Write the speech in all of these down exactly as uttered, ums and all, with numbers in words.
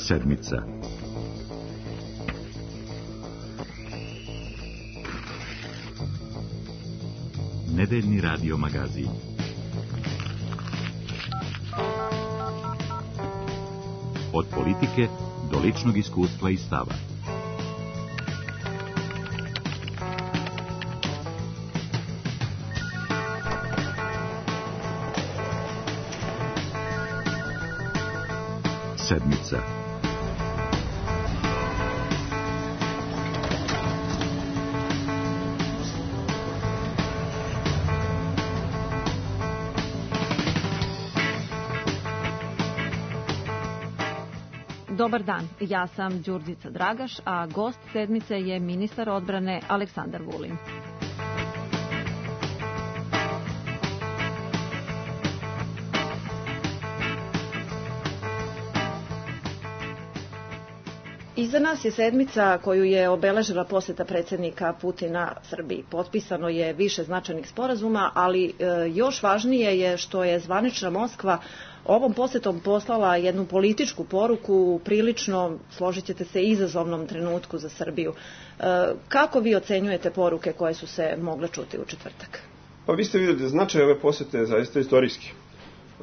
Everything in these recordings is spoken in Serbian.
Sedmica. Nedeljni radio magazin. Od politike do ličnog iskustva i stava. Sedmica. Dobar dan, ja sam Đurđica Dragaš, a gost sedmice je ministar odbrane Aleksandar Vulin. Iza nas je sedmica koju je obeležila poseta predsjednika Putina Srbiji. Potpisano je više značajnih sporazuma, ali e, još važnije je što je zvanična Moskva ovom posetom poslala jednu političku poruku u prilično, složit ćete se, izazovnom trenutku za Srbiju. E, kako vi ocenjujete poruke koje su se mogle čuti u četvrtak? Pa vi ste vidjeli da značaj ove posete je zaista istorijski.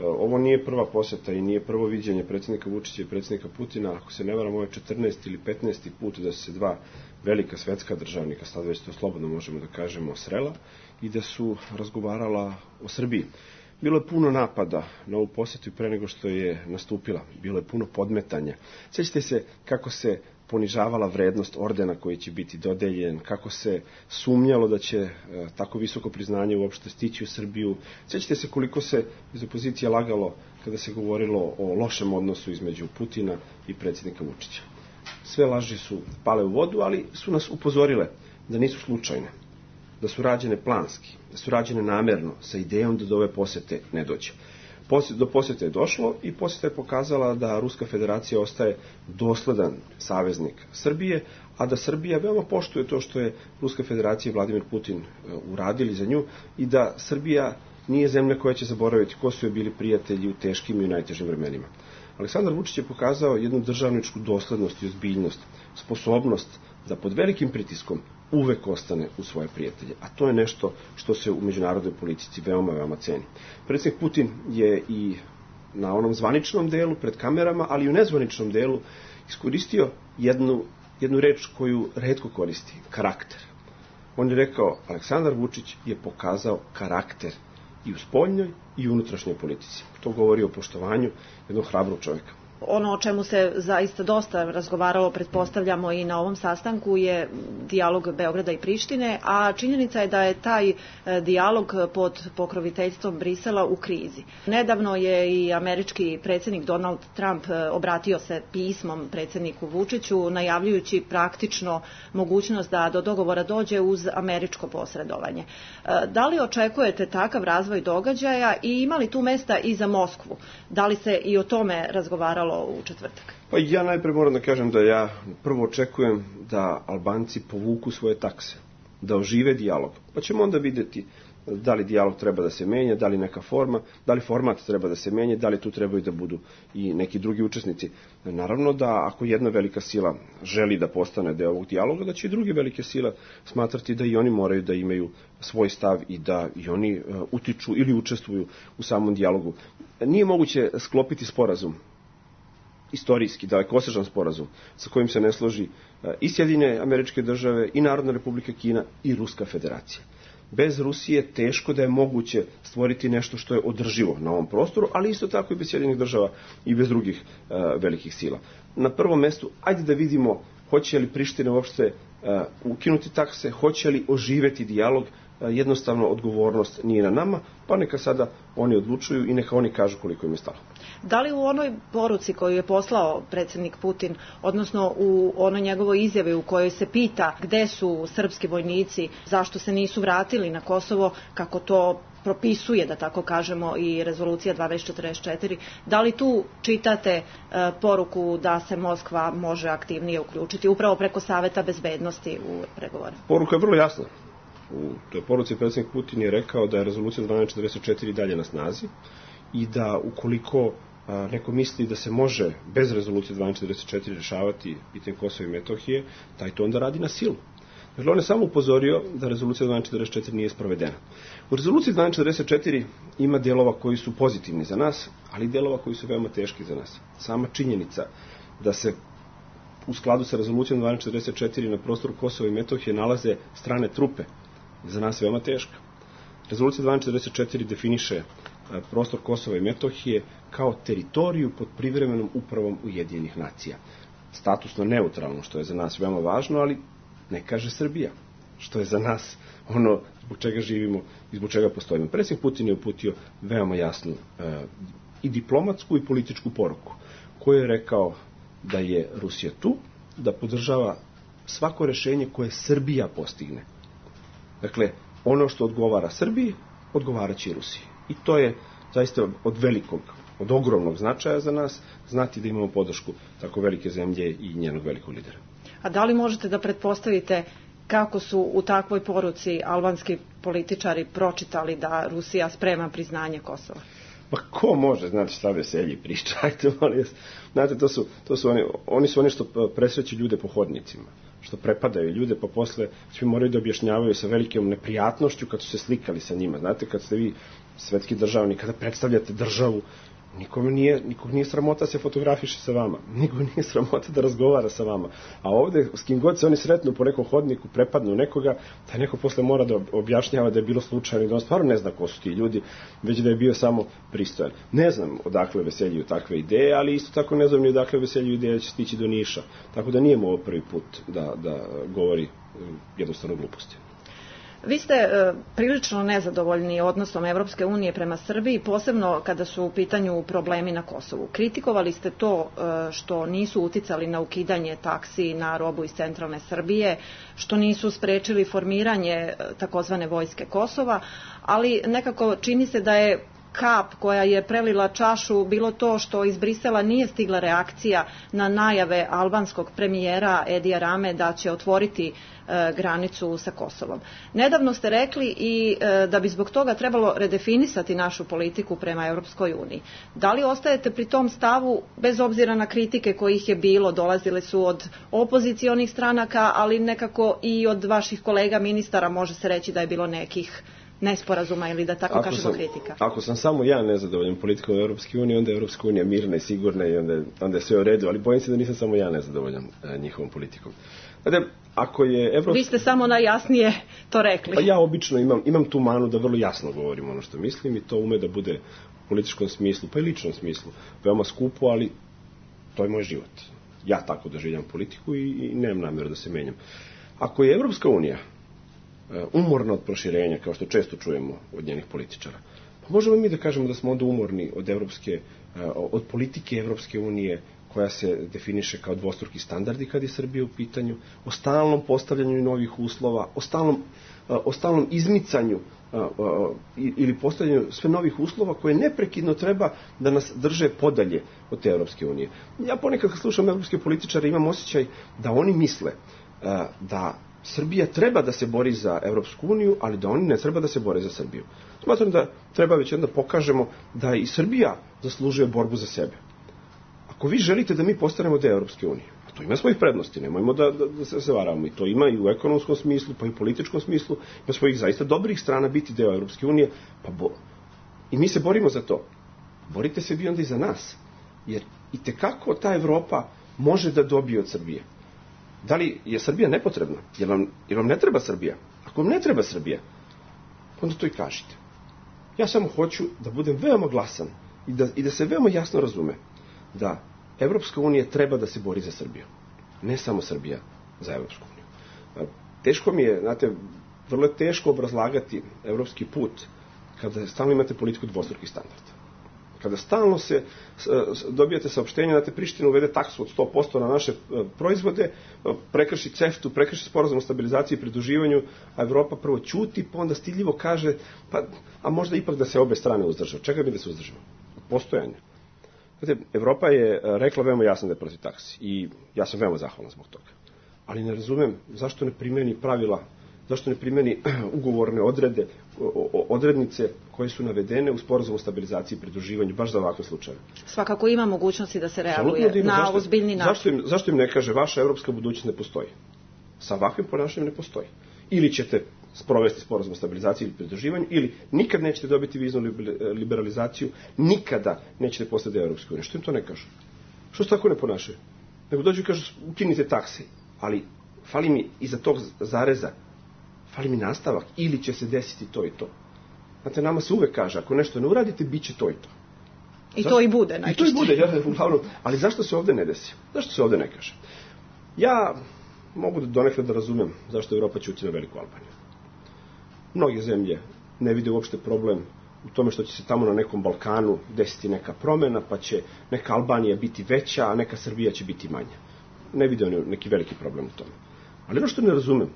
Ovo nije prva poseta i nije prvo viđenje predsjednika Vučića i predsjednika Putina. Ako se ne varam, ovo je četrnaesti ili petnaesti put da su se dva velika svetska državnika, sad već to slobodno možemo da kažemo, srela i da su razgovarala o Srbiji. Bilo je puno napada na ovu posetu pre nego što je nastupila. Bilo je puno podmetanja. Sjećate se kako se ponižavala vrednost ordena koji će biti dodeljen, kako se sumnjalo da će e, tako visoko priznanje uopšte stići u Srbiju. Sjećate se koliko se iz opozicije lagalo kada se govorilo o lošem odnosu između Putina i predsjednika Vučića. Sve laži su pale u vodu, ali su nas upozorile da nisu slučajne, da su rađene planski, da su rađene namerno, sa idejom da do ove posete ne dođe. Do posete je došlo i poseta je pokazala da Ruska federacija ostaje dosledan saveznik Srbije, a da Srbija veoma poštuje to što je Ruska federacija i Vladimir Putin uradili za nju i da Srbija nije zemlja koja će zaboraviti ko su je bili prijatelji u teškim i u najtežim vremenima. Aleksandar Vučić je pokazao jednu državničku doslednost i ozbiljnost, sposobnost da pod velikim pritiskom uvek ostane u svoje prijatelje. A to je nešto što se u međunarodnoj politici veoma, veoma ceni. Predsjednik Putin je i na onom zvaničnom delu, pred kamerama, ali i u nezvaničnom delu, iskoristio jednu, jednu reč koju retko koristi, karakter. On je rekao, Aleksandar Vučić je pokazao karakter i u spoljnoj i u unutrašnjoj politici. To govori o poštovanju jednog hrabrog čovjeka. Ono o čemu se zaista dosta razgovaralo, pretpostavljamo i na ovom sastanku, je dijalog Beograda i Prištine, a činjenica je da je taj dijalog pod pokroviteljstvom Brisela u krizi. Nedavno je i američki predsjednik Donald Trump obratio se pismom predsjedniku Vučiću, najavljujući praktično mogućnost da do dogovora dođe uz američko posredovanje. Da li očekujete takav razvoj događaja i ima li tu mesta i za Moskvu? Da li se i o tome razgovaralo u četvrtak? Pa ja najpre moram da kažem da ja prvo očekujem da Albanci povuku svoje takse, da ožive dijalog, pa ćemo onda vidjeti da li dijalog treba da se menja, da li neka forma, da li format treba da se menja, da li tu trebaju da budu i neki drugi učesnici. Naravno da ako jedna velika sila želi da postane deo ovog dijaloga, da će i druge velike sile smatrati da i oni moraju da imaju svoj stav i da i oni utiču ili učestvuju u samom dijalogu. Nije moguće sklopiti sporazum, istorijski, dalekosežan sporazum, sa kojim se ne složi i Sjedinjene Američke Države, i Narodna Republika Kina, i Ruska federacija. Bez Rusije teško da je moguće stvoriti nešto što je održivo na ovom prostoru, ali isto tako i bez Sjedinjenih Država i bez drugih uh, velikih sila. Na prvom mestu, ajde da vidimo hoće li Priština uopšte uh, ukinuti takse, hoće li oživeti dijalog. Uh, jednostavno odgovornost nije na nama, pa neka sada oni odlučuju i neka oni kažu koliko im je stalo. Da li u onoj poruci koju je poslao predsjednik Putin, odnosno u onoj njegovoj izjavi u kojoj se pita gde su srpski vojnici, zašto se nisu vratili na Kosovo, kako to propisuje, da tako kažemo, i rezolucija dvanaest četrdeset četiri, da li tu čitate e, poruku da se Moskva može aktivnije uključiti upravo preko Saveta bezbednosti u pregovore? Poruka je vrlo jasna. U toj poruci predsjednik Putin je rekao da je rezolucija dvanaest četrdeset četiri dalje na snazi i da ukoliko neko misli da se može bez rezolucije dvanaest četrdeset četiri rešavati pitanje Kosova i Metohije, taj to onda radi na silu. Dakle, on je samo upozorio da rezolucija dvanaest četrdeset četiri nije sprovedena. U rezoluciji dvanaest četrdeset četiri ima delova koji su pozitivni za nas, ali i delova koji su veoma teški za nas. Sama činjenica da se u skladu sa rezolucijom dvanaest četrdeset četiri na prostoru Kosova i Metohije nalaze strane trupe je za nas veoma teška. Rezolucija dvanaest četrdeset četiri definiše prostor Kosova i Metohije kao teritoriju pod privremenom upravom Ujedinjenih nacija. Statusno neutralno, što je za nas veoma važno, ali ne kaže Srbija, što je za nas ono zbog čega živimo i zbog čega postojimo. Predsjednik Putin je uputio veoma jasnu e, i diplomatsku i političku poruku, koju je rekao da je Rusija tu, da podržava svako rešenje koje Srbija postigne. Dakle, ono što odgovara Srbiji, odgovaraće i Rusiji. I to je zaista od velikog, od ogromnog značaja za nas, znati da imamo podršku tako velike zemlje i njenog velikog lidera. A da li možete da pretpostavite kako su u takvoj poruci albanski političari pročitali da Rusija sprema priznanje Kosova? Pa ko može, znate šta veselji priča, ajte molim vas. Znate, to su, to su oni, oni su oni što presreću ljude po hodnicima, što prepadaju ljude, pa posle svi moraju da objašnjavaju sa velikom neprijatnošću kad su se slikali sa njima. Znate, kad ste vi svetski državnik, kada predstavljate državu, Nikome nije, nikog nije sramota da se fotografiše sa vama. Nikog nije sramota da razgovara sa vama. A ovde, s kim god se oni sretnu po nekom hodniku, prepadnu nekoga, taj neko posle mora da objašnjava da je bilo slučajno i da on stvarno ne zna ko su ti ljudi, već da je bio samo pristojan. Ne znam odakle veseljuju takve ideje, ali isto tako ne znam ni odakle veseljuju ideje da će stići do Niša. Tako da nije mu ovo prvi put da, da govori jednostavno gluposti. Vi ste e, prilično nezadovoljni odnosom Evropske unije prema Srbiji, posebno kada su u pitanju problemi na Kosovu. Kritikovali ste to e, što nisu uticali na ukidanje taksi na robu iz centralne Srbije, što nisu sprečili formiranje e, takozvane vojske Kosova, ali nekako čini se da je kap koja je prelila čašu bilo to što iz Brisela nije stigla reakcija na najave albanskog premijera Edija Rame da će otvoriti e, granicu sa Kosovom. Nedavno ste rekli i e, da bi zbog toga trebalo redefinisati našu politiku prema Europskoj uniji. Da li ostajete pri tom stavu bez obzira na kritike kojih je bilo, dolazile su od opozicionih stranaka, ali nekako i od vaših kolega ministara može se reći da je bilo nekih nesporazuma ili da tako ako kažemo sam, kritika. Ako sam samo ja nezadovoljan politikom Europske unije, onda je Europska unija mirna i sigurna i onda, onda je sve u redu, ali bojim se da nisam samo ja nezadovoljan e, njihovom politikom. Znači, ako je Evropska... Vi ste samo najjasnije to rekli. Pa ja obično imam, imam tu manu da vrlo jasno govorim ono što mislim i to ume da bude u političkom smislu, pa i ličnom smislu, veoma skupo, ali to je moj život. Ja tako doživljam politiku i, i nemam namjeru da se menjam. Ako je Evropska unija umorna od proširenja, kao što često čujemo od njenih političara, pa možemo mi da kažemo da smo onda umorni od evropske, od politike Evropske unije koja se definiše kao dvostruki standardi kad je Srbija u pitanju, o stalnom postavljanju novih uslova, o stalnom, o stalnom izmicanju ili postavljanju sve novih uslova koje neprekidno treba da nas drže podalje od te Evropske unije. Ja ponekad kad slušam evropske političare imam osjećaj da oni misle da Srbija treba da se bori za Evropsku uniju, ali da oni ne treba da se bore za Srbiju. Smatram da treba već onda pokažemo da i Srbija zaslužuje borbu za sebe. Ako vi želite da mi postanemo deo Evropske unije, a to ima svojih prednosti, nemojmo da, da, da se varamo, i to ima i u ekonomskom smislu, pa i u političkom smislu, ima svojih zaista dobrih strana biti deo Evropske unije, pa bo... i mi se borimo za to. Borite se vi onda i za nas, jer i tekako ta Evropa može da dobije od Srbije. Da li je Srbija nepotrebna? Jer vam, jer vam ne treba Srbija? Ako vam ne treba Srbija, onda to i kažite. Ja samo hoću da budem veoma glasan i da, i da se veoma jasno razume da Evropska unija treba da se bori za Srbiju. Ne samo Srbija za Evropsku uniju. Teško mi je, znate, vrlo je teško obrazlagati evropski put kada stalno imate politiku dvostrukih standarda. Kada stalno se dobijate saopštenje da te Priština uvede taksu od sto posto na naše proizvode, prekrši CEFTA-u, prekrši sporazum o stabilizaciji i pridruživanju, a Evropa prvo ćuti, pa onda stidljivo kaže, pa, a možda ipak da se obe strane uzdrže. Čega mi da se uzdržimo? Postojanje. Znate, Evropa je rekla veoma jasno da je protiv taksi i ja sam veoma zahvalan zbog toga. Ali ne razumem zašto ne primeni pravila zašto ne primeni ugovorne odrede, odrednice koje su navedene u sporazumu o stabilizaciji i pridruživanju, baš za ovakve slučajeve. Svakako ima mogućnosti da se reaguje da na zašto, ozbiljni način. Zašto im, zašto im ne kaže vaša evropska budućnost ne postoji? Sa ovakvim ponašanjem ne postoji. Ili ćete sprovesti sporazum o stabilizaciji ili pridruživanju, ili nikad nećete dobiti viznu liberalizaciju, nikada nećete postati deo Evropske unije. Što im to ne kažu? Što se tako ne ponašaju? Nego dođu i kažu ukinite takse, ali fali mi iza tog zareza, fali mi nastavak, ili će se desiti to i to. Znate, nama se uvek kaže, ako nešto ne uradite, bit će to i to. I zašto? To i bude najčešće. I to i bude, ja, uglavnom. Ali zašto se ovde ne desi? Zašto se ovde ne kaže? Ja mogu da donekle da razumem zašto Evropa ćuti na Veliku Albaniju. Mnoge zemlje ne vide uopšte problem u tome što će se tamo na nekom Balkanu desiti neka promena, pa će neka Albanija biti veća, a neka Srbija će biti manja. Ne vide oni neki veliki problem u tome. Ali ono što ne razumem,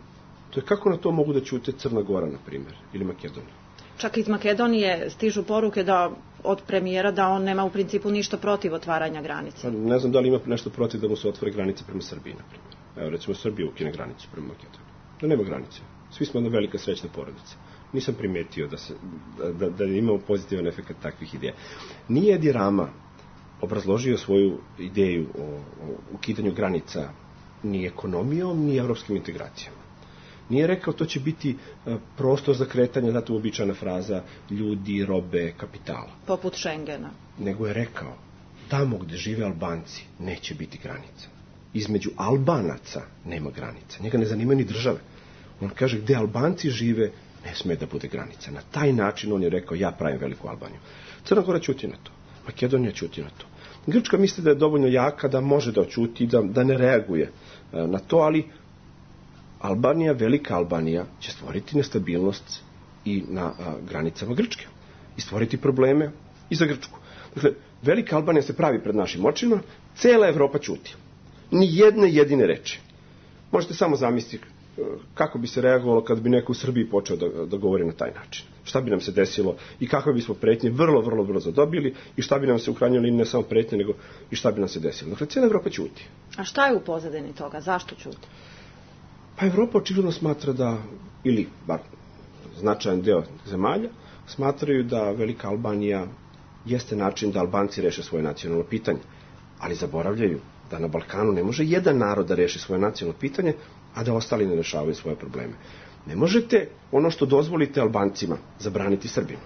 to je kako na to mogu da ćute Crna Gora, na primjer, ili Makedonija. Čak iz Makedonije stižu poruke da od premijera da on nema u principu ništa protiv otvaranja granice. Ne znam da li ima nešto protiv da mu se otvore granice prema Srbiji, na primjer. Evo, recimo, Srbija ukine granicu prema Makedoniji. Da nema granice. Svi smo jedna velika srećna porodica. Nisam primetio da, se, da, da imamo pozitivan efekt takvih ideja. Nije Edi Rama obrazložio svoju ideju o, o ukidanju granica ni ekonomijom, ni evropskim integracijama. Nije rekao to će biti prostor za kretanje, znate, uobičajena fraza ljudi, robe, kapitala. Poput Schengena. Nego je rekao, tamo gde žive Albanci neće biti granica. Između Albanaca nema granica. Njega ne zanima ni države. On kaže, gde Albanci žive, ne sme da bude granica. Na taj način on je rekao, ja pravim Veliku Albaniju. Crna Gora ćuti na to. Makedonija ćuti na to. Grčka misli da je dovoljno jaka da može da oćuti, da, da ne reaguje na to, ali Albanija, Velika Albanija će stvoriti nestabilnost i na a, granicama Grčke. I stvoriti probleme i za Grčku. Dakle, Velika Albanija se pravi pred našim očima, cela Evropa ćuti. Ni jedne jedine reči. Možete samo zamisliti kako bi se reagovalo kad bi neko u Srbiji počeo da, da govori na taj način. Šta bi nam se desilo i kakve bismo pretnje vrlo, vrlo brzo dobili i šta bi nam se u krajnjoj liniji ne samo pretnje, nego i šta bi nam se desilo. Dakle, cijela Evropa ćuti. A šta je u pozadini toga? Zašto ćuti? Pa Evropa očigledno smatra da, ili bar značajan deo zemalja, smatraju da Velika Albanija jeste način da Albanci reše svoje nacionalno pitanje. Ali zaboravljaju da na Balkanu ne može jedan narod da reši svoje nacionalno pitanje, a da ostali ne rešavaju svoje probleme. Ne možete ono što dozvolite Albancima zabraniti Srbima.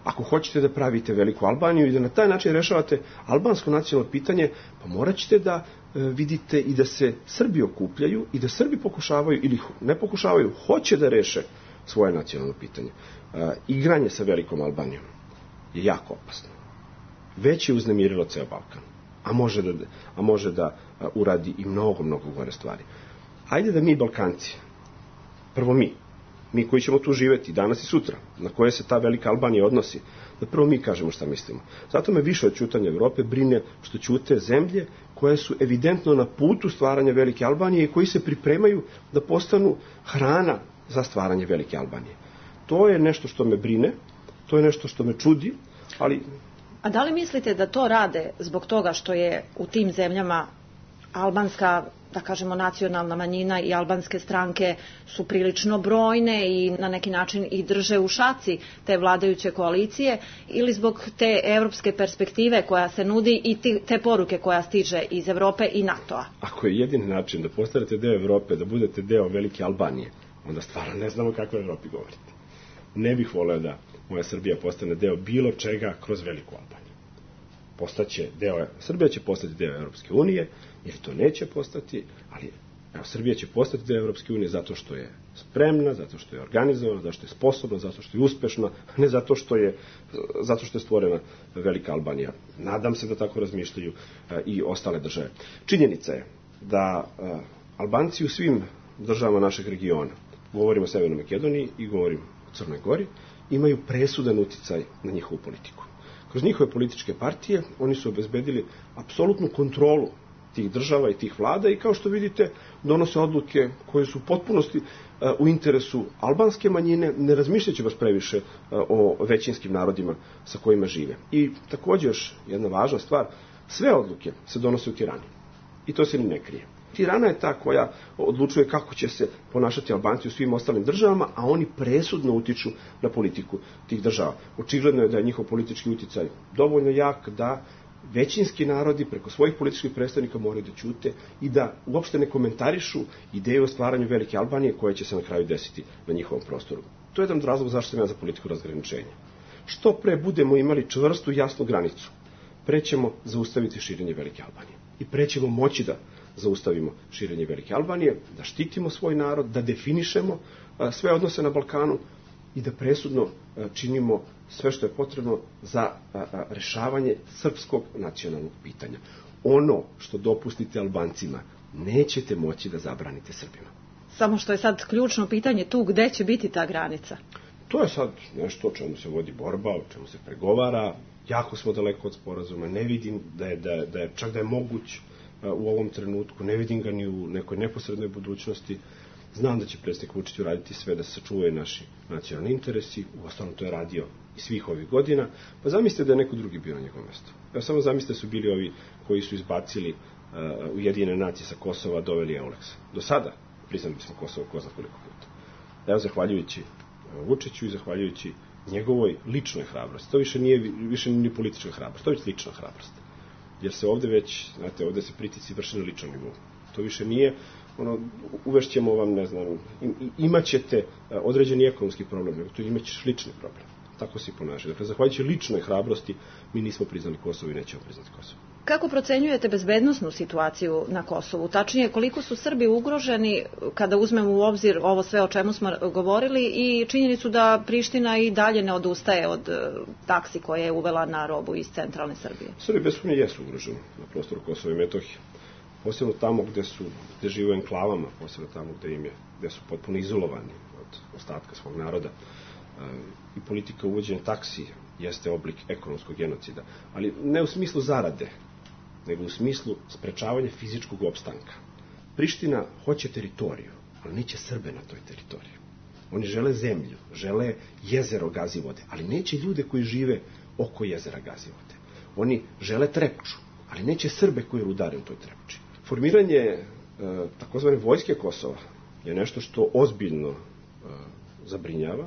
Ako hoćete da pravite Veliku Albaniju i da na taj način rešavate albansko nacionalno pitanje, pa morat ćete da e, vidite i da se Srbi okupljaju i da Srbi pokušavaju, ili ne pokušavaju, hoće da reše svoje nacionalno pitanje. E, igranje sa Velikom Albanijom je jako opasno. Već je uznemirilo ceo Balkan, a može da, a može da a, uradi i mnogo, mnogo gore stvari. Ajde da mi, Balkanci, prvo mi, mi koji ćemo tu živeti danas i sutra, na koje se ta Velika Albanija odnosi, da prvo mi kažemo šta mislimo. Zato me više od ćutanja Evrope brine što ćute zemlje koje su evidentno na putu stvaranja Velike Albanije i koji se pripremaju da postanu hrana za stvaranje Velike Albanije. To je nešto što me brine, to je nešto što me čudi, ali... A da li mislite da to rade zbog toga što je u tim zemljama albanska, da kažemo, nacionalna manjina i albanske stranke su prilično brojne i na neki način i drže u šaci te vladajuće koalicije, ili zbog te evropske perspektive koja se nudi i te poruke koja stiže iz Evrope i NATO-a? Ako je jedini način da postanete deo Evrope, da budete deo Velike Albanije, onda stvarno ne znamo kakve Evropi govorite. Ne bih voleo da moja Srbija postane deo bilo čega kroz Veliku Albaniju. Postaće deo, Srbija će postati deo Evropske unije, jer to neće postati, ali evo, Srbija će postati deo Evropske unije zato što je spremna, zato što je organizovana, zato što je sposobna, zato što je uspešna, a ne zato što je, zato što je stvorena Velika Albanija. Nadam se da tako razmišljaju a, i ostale države. Činjenica je da a, Albanci u svim državama našeg regiona, govorimo o Severnoj Makedoniji i govorimo o Crnoj Gori, imaju presudan uticaj na njihovu politiku. Kroz njihove političke partije oni su obezbedili apsolutnu kontrolu tih država i tih vlada i kao što vidite donose odluke koje su u potpunosti u interesu albanske manjine, ne razmišljajući baš previše o većinskim narodima sa kojima žive. I također još jedna važna stvar, sve odluke se donose u Tirani. I to se ni ne krije. Tirana je ta koja odlučuje kako će se ponašati Albanci u svim ostalim državama, a oni presudno utiču na politiku tih država. Očigledno je da je njihov politički uticaj dovoljno jak da većinski narodi preko svojih političkih predstavnika moraju da ćute i da uopšte ne komentarišu ideju o stvaranju Velike Albanije koja će se na kraju desiti na njihovom prostoru. To je jedan od razloga zašto sam ja za politiku razgraničenja. Što pre budemo imali čvrstu, jasnu granicu, pre ćemo zaustaviti širenje Velike Albanije. I pre ćemo moći da zaustavimo širenje Velike Albanije, da štitimo svoj narod, da definišemo sve odnose na Balkanu i da presudno činimo sve što je potrebno za rešavanje srpskog nacionalnog pitanja. Ono što dopustite Albancima, nećete moći da zabranite Srbima. Samo što je sad ključno pitanje tu, gde će biti ta granica? To je sad nešto o čemu se vodi borba, o čemu se pregovara. Jako smo daleko od sporazuma. Ne vidim da je, da je, da je čak da je moguć u ovom trenutku. Ne vidim ga ni u nekoj neposrednoj budućnosti. Znam da će predsjednik Vučić uraditi sve da se sačuvaju naši nacionalni interesi. Uostalom to je radio i svih ovih godina. Pa zamislite da je neko drugi bio na njegovom mjestu. Evo samo zamislite su bili ovi koji su izbacili uh, Ujedinjene nacije sa Kosova, doveli Euleksa. Do sada priznali smo Kosovo ko zna koliko puta. Evo zahvaljujući uh, Vučiću i zahvaljujući njegovoj ličnoj hrabrosti. To više nije više ni politička hrabrost, to je već lična hrabrost. Jer se ovde već, znate, ovde se pritisci vrše na ličnom nivou. To više nije ono, uvešćemo vam, ne znam, imat ćete određeni ekonomski problem, nego to imat ćeš lični problem. Tako se i ponaša. Dakle, zahvaljujući ličnoj hrabrosti, mi nismo priznali Kosovo i nećemo priznati Kosovo. Kako procenjujete bezbednosnu situaciju na Kosovu? Tačnije, koliko su Srbi ugroženi kada uzmemo u obzir ovo sve o čemu smo govorili i činjenicu da Priština i dalje ne odustaje od taksi koje je uvela na robu iz centralne Srbije? Srbi bez sumnje jesu ugroženi na prostoru Kosova i Metohije. Posebno tamo gde su, gde žive u enklavama, posebno tamo gde im je, gde su potpuno izolovani od ostatka svog naroda. I politika uvođenja taksi jeste oblik ekonomskog genocida, ali ne u smislu zarade, nego u smislu sprečavanja fizičkog opstanka. Priština hoće teritoriju, ali neće Srbe na toj teritoriji. Oni žele zemlju, žele jezero Gazivode, ali neće ljude koji žive oko jezera Gazivode. Oni žele Trepču, ali neće Srbe koji rudare u toj Trepči. Formiranje e, takozvane vojske Kosova je nešto što ozbiljno e, zabrinjava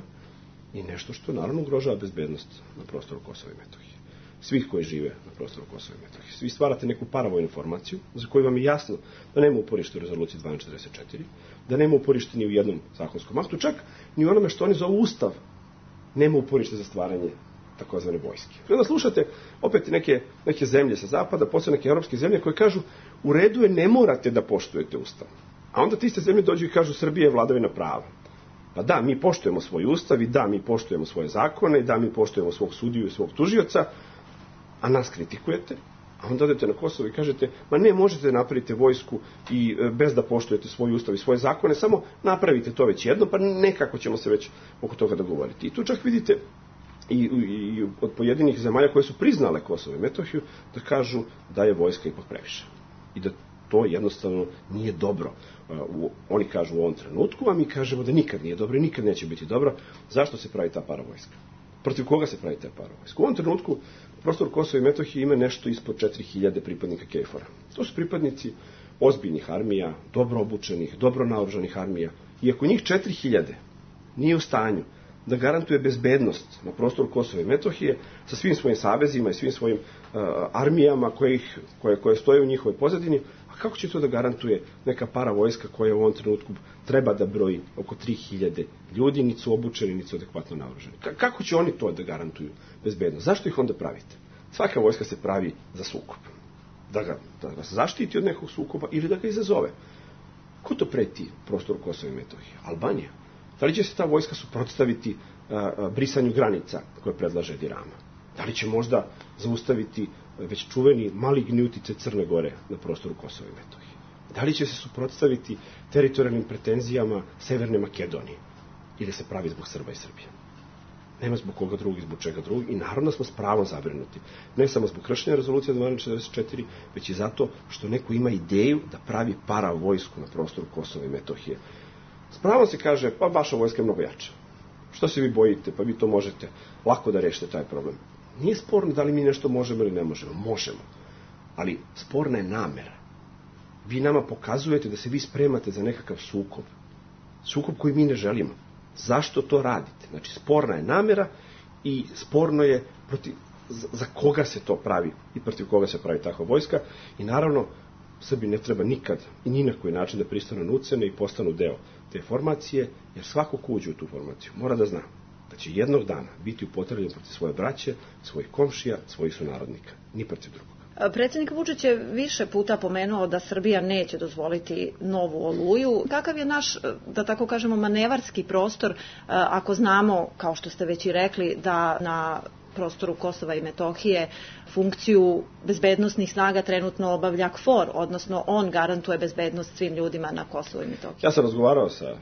i nešto što naravno ugrožava bezbednost na prostoru Kosova i Metohije. Svih koji žive na prostoru Kosova i Metohije. Svi stvarate neku paravojnu formaciju za koju vam je jasno da nema uporište u rezoluciji dvanaest četrdeset četiri, da nema uporište ni u jednom zakonskom aktu, čak ni u onome što oni zovu Ustav nema uporište za stvaranje takozvane vojske. Kada slušate opet neke, neke zemlje sa zapada, posebno neke evropske zemlje koje kažu u redu je, ne morate da poštujete Ustav. A onda ti ste zemlje dođu i kažu Srbija je vladavina prava. Pa da, mi poštujemo svoj ustav i da, mi poštujemo svoje zakone i da, mi poštujemo svog sudiju i svog tužioca, a nas kritikujete, a onda odete na Kosovo i kažete, ma ne, možete da napravite vojsku i bez da poštujete svoj ustav i svoje zakone, samo napravite to već jedno, pa nekako ćemo se već oko toga dogovoriti. I tu čak vidite i, i, i od pojedinih zemalja koje su priznale Kosovo i Metohiju, da kažu da je vojska ipak previše. I da to jednostavno nije dobro. Uh, oni kažu u ovom trenutku, a mi kažemo da nikad nije dobro i nikad neće biti dobro. Zašto se pravi ta paravojska? Protiv koga se pravi ta paravojska? U ovom trenutku prostor Kosova i Metohije ima nešto ispod četiri hiljade pripadnika KFOR-a. To su pripadnici ozbiljnih armija, dobro obučenih, dobro naoružanih armija. I ako njih četiri hiljade nije u stanju da garantuje bezbednost na prostoru Kosova i Metohije sa svim svojim savezima i svim svojim uh, armijama koje, ih, koje, koje stoje u njihovoj pozadini, a kako će to da garantuje neka paravojska koja u ovom trenutku treba da broji oko tri hiljade ljudi, niti su obučeni, niti su adekvatno naoružani? K- kako će oni to da garantuju bezbednost? Zašto ih onda pravite? Svaka vojska se pravi za sukob. Da ga, da ga zaštiti od nekog sukoba ili da ga izazove. Ko to preti prostoru Kosova i Metohije? Albanija. Da li će se ta vojska suprotstaviti a, a, brisanju granica koje predlaže Edi Rama? Da li će možda zaustaviti već čuveni maligni uticaj Crne Gore na prostoru Kosova i Metohije? Da li će se suprotstaviti teritorijalnim pretenzijama Severne Makedonije? Ili se pravi zbog Srba i Srbije? Nema zbog koga drugog, zbog čega drugog. I naravno smo s pravom zabrinuti. Ne samo zbog kršenja rezolucije dvanaest četrdeset četiri, već i zato što neko ima ideju da pravi paravojsku na prostoru Kosova i Metohije. S pravom se kaže, pa vaša vojska je mnogo jača. Što se vi bojite? Pa vi to možete lako da rešite taj problem. Nije sporno da li mi nešto možemo ili ne možemo. Možemo. Ali sporna je namera. vi nama pokazujete da se vi spremate za nekakav sukob. Sukob koji mi ne želimo. Zašto to radite? Znači, sporna je namera i sporno je protiv, za koga se to pravi i protiv koga se pravi takva vojska. I naravno, Srbi ne treba nikad i ni na koji način da pristanu na ucene i postanu deo te formacije, jer svako ko uđe u tu formaciju mora da zna da će jednog dana biti upotrebljen protiv svoje braće, svojih komšija, svojih sunarodnika, ni protiv drugog. Predsjednik Vučić je više puta pomenuo da Srbija neće dozvoliti novu Oluju. Kakav je naš, da tako kažemo, manevarski prostor, ako znamo, kao što ste već i rekli, da na prostoru Kosova i Metohije funkciju bezbednosnih snaga trenutno obavlja KFOR, odnosno on garantuje bezbednost svim ljudima na Kosovu i Metohiji? Ja sam razgovarao sa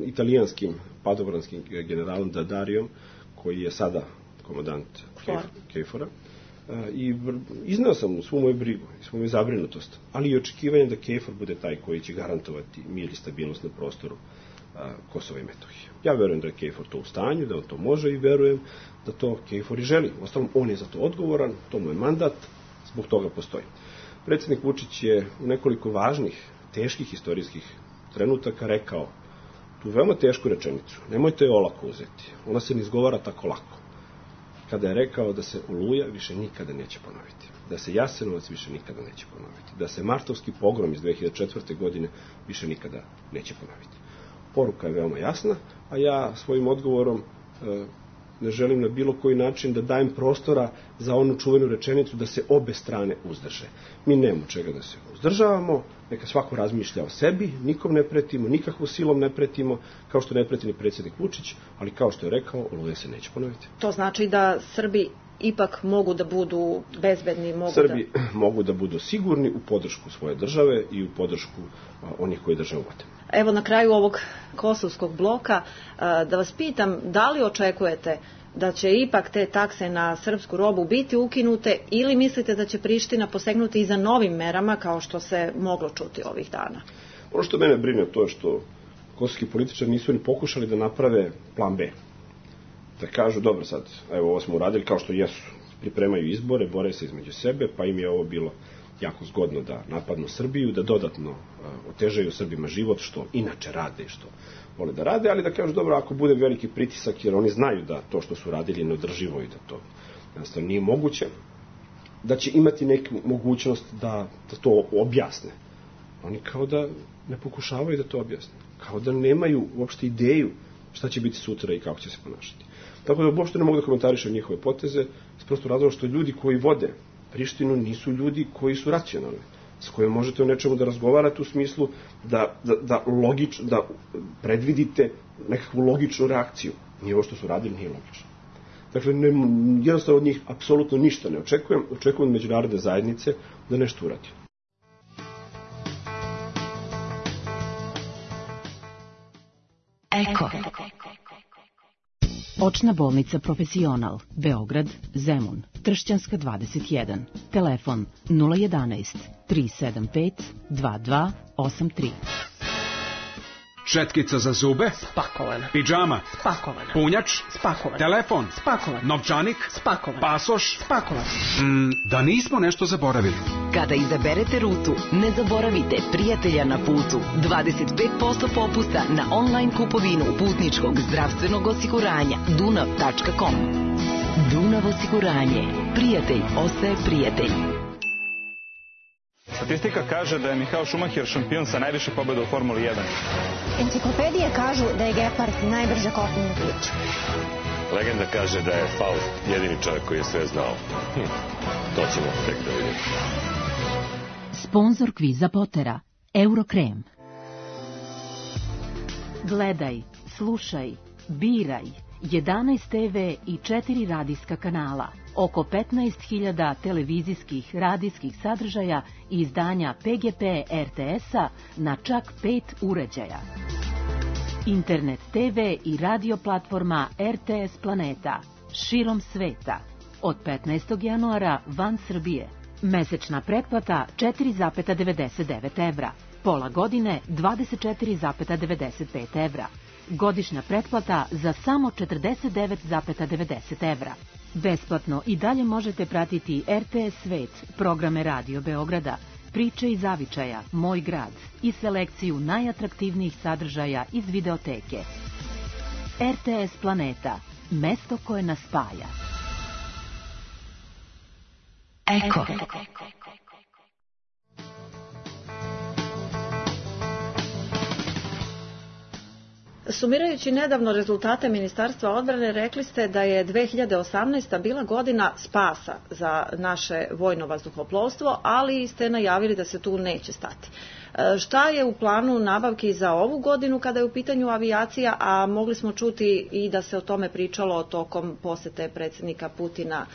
italijanskim padobranskim generalom Dadarijom, koji je sada komandant KFOR-a, i izneo sam svu moju brigu i svu moju zabrinutost, ali i očekivanje da KFOR bude taj koji će garantovati mir i stabilnost na prostoru Kosova i Metohije. Ja verujem da je KFOR to u stanju, da on to može i verujem da to KFOR i želi. Ostalom, on je za to odgovoran, to mu je mandat, zbog toga postoji. Predsjednik Vučić je u nekoliko važnih, teških istorijskih trenutaka rekao tu veoma tešku rečenicu, nemojte je olako uzeti, ona se ne izgovara tako lako. Kada je rekao da se Oluja više nikada neće ponoviti, da se Jasenovac više nikada neće ponoviti, da se martovski pogrom iz dve hiljade četvrte. godine više nikada neće ponoviti. Poruka je veoma jasna, a ja svojim odgovorom e, ne želim na bilo koji način da dajem prostora za onu čuvenu rečenicu da se obe strane uzdrže. Mi nemamo čega da se uzdržavamo, neka svako razmišlja o sebi, nikom ne pretimo, nikakvu silom ne pretimo, kao što ne preti ni predsjednik Vučić, ali kao što je rekao, Oluja se neće ponoviti. To znači da Srbi ipak mogu da budu bezbedni, mogu Srbi da... mogu da budu sigurni u podršku svoje države i u podršku a, onih koji državu vode. Evo na kraju ovog kosovskog bloka a, da vas pitam, da li očekujete da će ipak te takse na srpsku robu biti ukinute ili mislite da će Priština posegnuti i za novim merama kao što se moglo čuti ovih dana? Ono što mene brine to je što kosovski političari nisu ni pokušali da naprave plan B. Da kažu, dobro sad, evo ovo smo uradili kao što jesu, pripremaju izbore, bore se između sebe, pa im je ovo bilo jako zgodno da napadnu Srbiju, da dodatno uh, otežaju Srbima život, što inače rade i što vole da rade, ali da kažu, dobro, ako bude veliki pritisak, jer oni znaju da to što su radili je neodrživo i da to jednostavno nije moguće, da će imati neku mogućnost da, da to objasne. Oni kao da ne pokušavaju da to objasne, kao da nemaju uopšte ideju šta će biti sutra i kako će se ponašati. Tako da uopšte ne mogu da komentarišem njihove poteze, s prosto razloga što ljudi koji vode Prištinu nisu ljudi koji su racionalni, s kojima možete o nečemu da razgovarate u smislu da, da, da, logič, da predvidite nekakvu logičnu reakciju. Nije ovo što su radili, nije logično. Dakle, ne, jednostavno od njih apsolutno ništa ne očekujem, očekujem od međunarodne zajednice da nešto uradi. Eko. Očna bolnica Profesional, Beograd, Zemun, Tršćanska dvadeset jedan, telefon nula jedanaest tri sedam pet dva dva osam tri. Četkica za zube? Spakovana. Pidžama? Spakovana. Punjač? Spakovan. Telefon? Spakovan. Novčanik? Spakovan. Pasoš? Spakovan. Mm, da nismo nešto zaboravili. Kada izaberete rutu, ne zaboravite prijatelja na putu. dvadeset pet posto popusta na online kupovinu putničkog zdravstvenog osiguranja dunav tačka com. Dunav osiguranje. Prijatelj ostaje prijatelj. Statistika kaže da je Michael Schumacher šampion sa najviše pobjeda u Formuli jedan. Enciklopedije kažu da je Gepard najbrže kopneno biće. Legenda kaže da je Faust jedini čovjek koji je sve znao. Hm, to ćemo tek da vidimo. Sponzor kviza Potera, Eurokrem. Gledaj, slušaj, biraj. jedanaest te ve i četiri radijska kanala, oko petnaest hiljada televizijskih radijskih sadržaja i izdanja Pe Ge Pe Er Te Es-a na čak pet uređaja. Internet te ve i radio platforma Er Te Es Planeta, širom sveta. Od petnaestog januara van Srbije. Mesečna pretplata četiri zarez devedeset devet evra. Pola godine dvadeset četiri zarez devedeset pet evra. Godišnja pretplata za samo četrdeset devet zarez devedeset evra. Besplatno i dalje možete pratiti Er Te Es Svet, programe Radio Beograda, priče iz zavičaja, Moj grad i selekciju najatraktivnijih sadržaja iz videoteke. R T S Planeta, mesto koje nas spaja. Eko. Sumirajući nedavno rezultate Ministarstva odbrane, rekli ste da je dve hiljade osamnaesta. bila godina spasa za naše vojno vazduhoplovstvo, ali ste najavili da se tu neće stati. Šta je u planu nabavki za ovu godinu kada je u pitanju avijacija, a mogli smo čuti i da se o tome pričalo tokom posete predsjednika Putina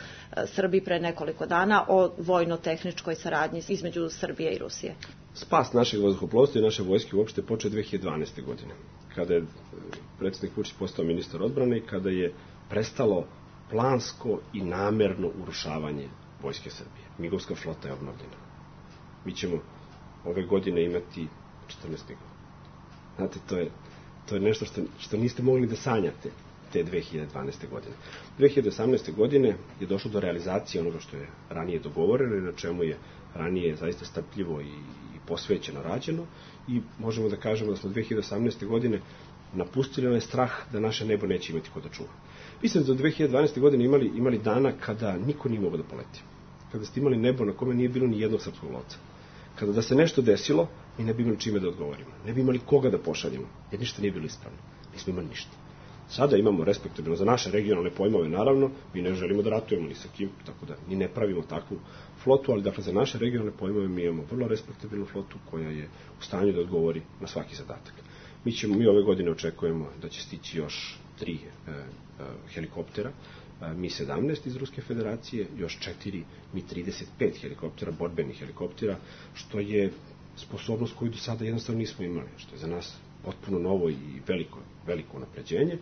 Srbiji pre nekoliko dana o vojno-tehničkoj saradnji između Srbije i Rusije? Spas našeg vazduhoplovstva i naše vojske uopšte počeo dve hiljade dvanaeste. godine, kada je predsjednik Vučić postao ministar odbrane i kada je prestalo plansko i namerno urušavanje vojske Srbije. Migovska flota je obnovljena. Mi ćemo ove godine imati četrnaest migova. Znate, to je, to je nešto što, što niste mogli da sanjate te dve hiljade dvanaeste. godine. dve hiljade osamnaeste. godine je došlo do realizacije onoga što je ranije dogovoreno i na čemu je ranije zaista strpljivo i, i posvećeno rađeno i možemo da kažemo da smo dve hiljade osamnaeste. godine napustili onaj strah da naše nebo neće imati ko da čuva. Vi ste do dve hiljade dvanaeste. godine imali, imali dana kada niko nije mogao da poleti. Kada ste imali nebo na kome nije bilo ni jednog srpskog lovca. Kada da se nešto desilo, mi ne bi imali čime da odgovorimo. Ne bi imali koga da pošaljemo, jer ništa nije bilo ispravno. Nismo imali ništa. Sada imamo respektabilno za naše regionalne pojmove, naravno, mi ne želimo da ratujemo ni sa kim, tako da ni ne pravimo takvu flotu, ali dakle za naše regionalne pojmove mi imamo vrlo respektabilnu flotu koja je u stanju da odgovori na svaki zadatak. Mi ćemo, mi ove godine očekujemo da će stići još tri e, e, helikoptera, Mi sedamnaest iz Ruske federacije, još četiri Mi trideset pet helikoptera, borbenih helikoptera, što je sposobnost koju do sada jednostavno nismo imali, što je za nas potpuno novo i veliko, veliko napređenje.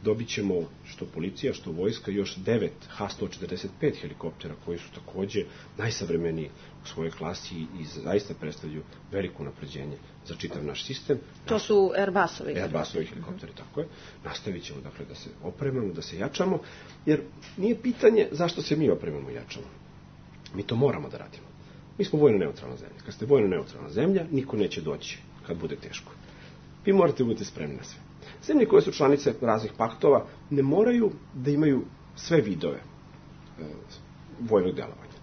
Dobit ćemo što policija, što vojska, još devet Ha sto četrdeset pet helikoptera koji su takođe najsavremeniji u svojoj klasi i zaista predstavljaju veliko napređenje za čitav naš sistem. To su Airbusovi. Airbusovi helikopteri, tako je. Nastavit ćemo dakle da se opremamo, da se jačamo, jer nije pitanje zašto se mi opremamo i jačamo. Mi to moramo da radimo. Mi smo vojno neutralna zemlja. Kad ste vojno neutralna zemlja, niko neće doći kad bude teško. Vi morate biti spremni na sve. Zemlje koje su članice raznih paktova ne moraju da imaju sve vidove e, vojnog delovanja.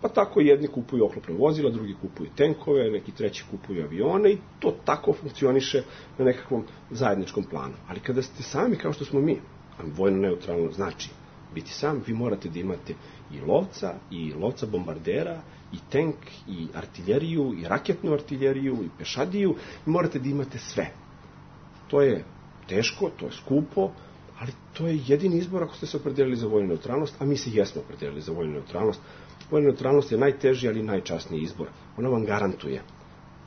Pa tako jedni kupuju oklopna vozila, drugi kupuju tenkove, neki treći kupuju avione i to tako funkcioniše na nekakvom zajedničkom planu. Ali kada ste sami kao što smo mi, a vojno neutralno znači biti sam, vi morate da imate i lovca, i lovca bombardera, i tank, i artiljeriju, i raketnu artiljeriju, i pešadiju, i morate da imate sve. To je teško, to je skupo, ali to je jedini izbor ako ste se opredelili za vojnu neutralnost, a mi se jesmo opredelili za vojnu neutralnost. Vojna neutralnost je najteži, ali najčasniji izbor. Ona vam garantuje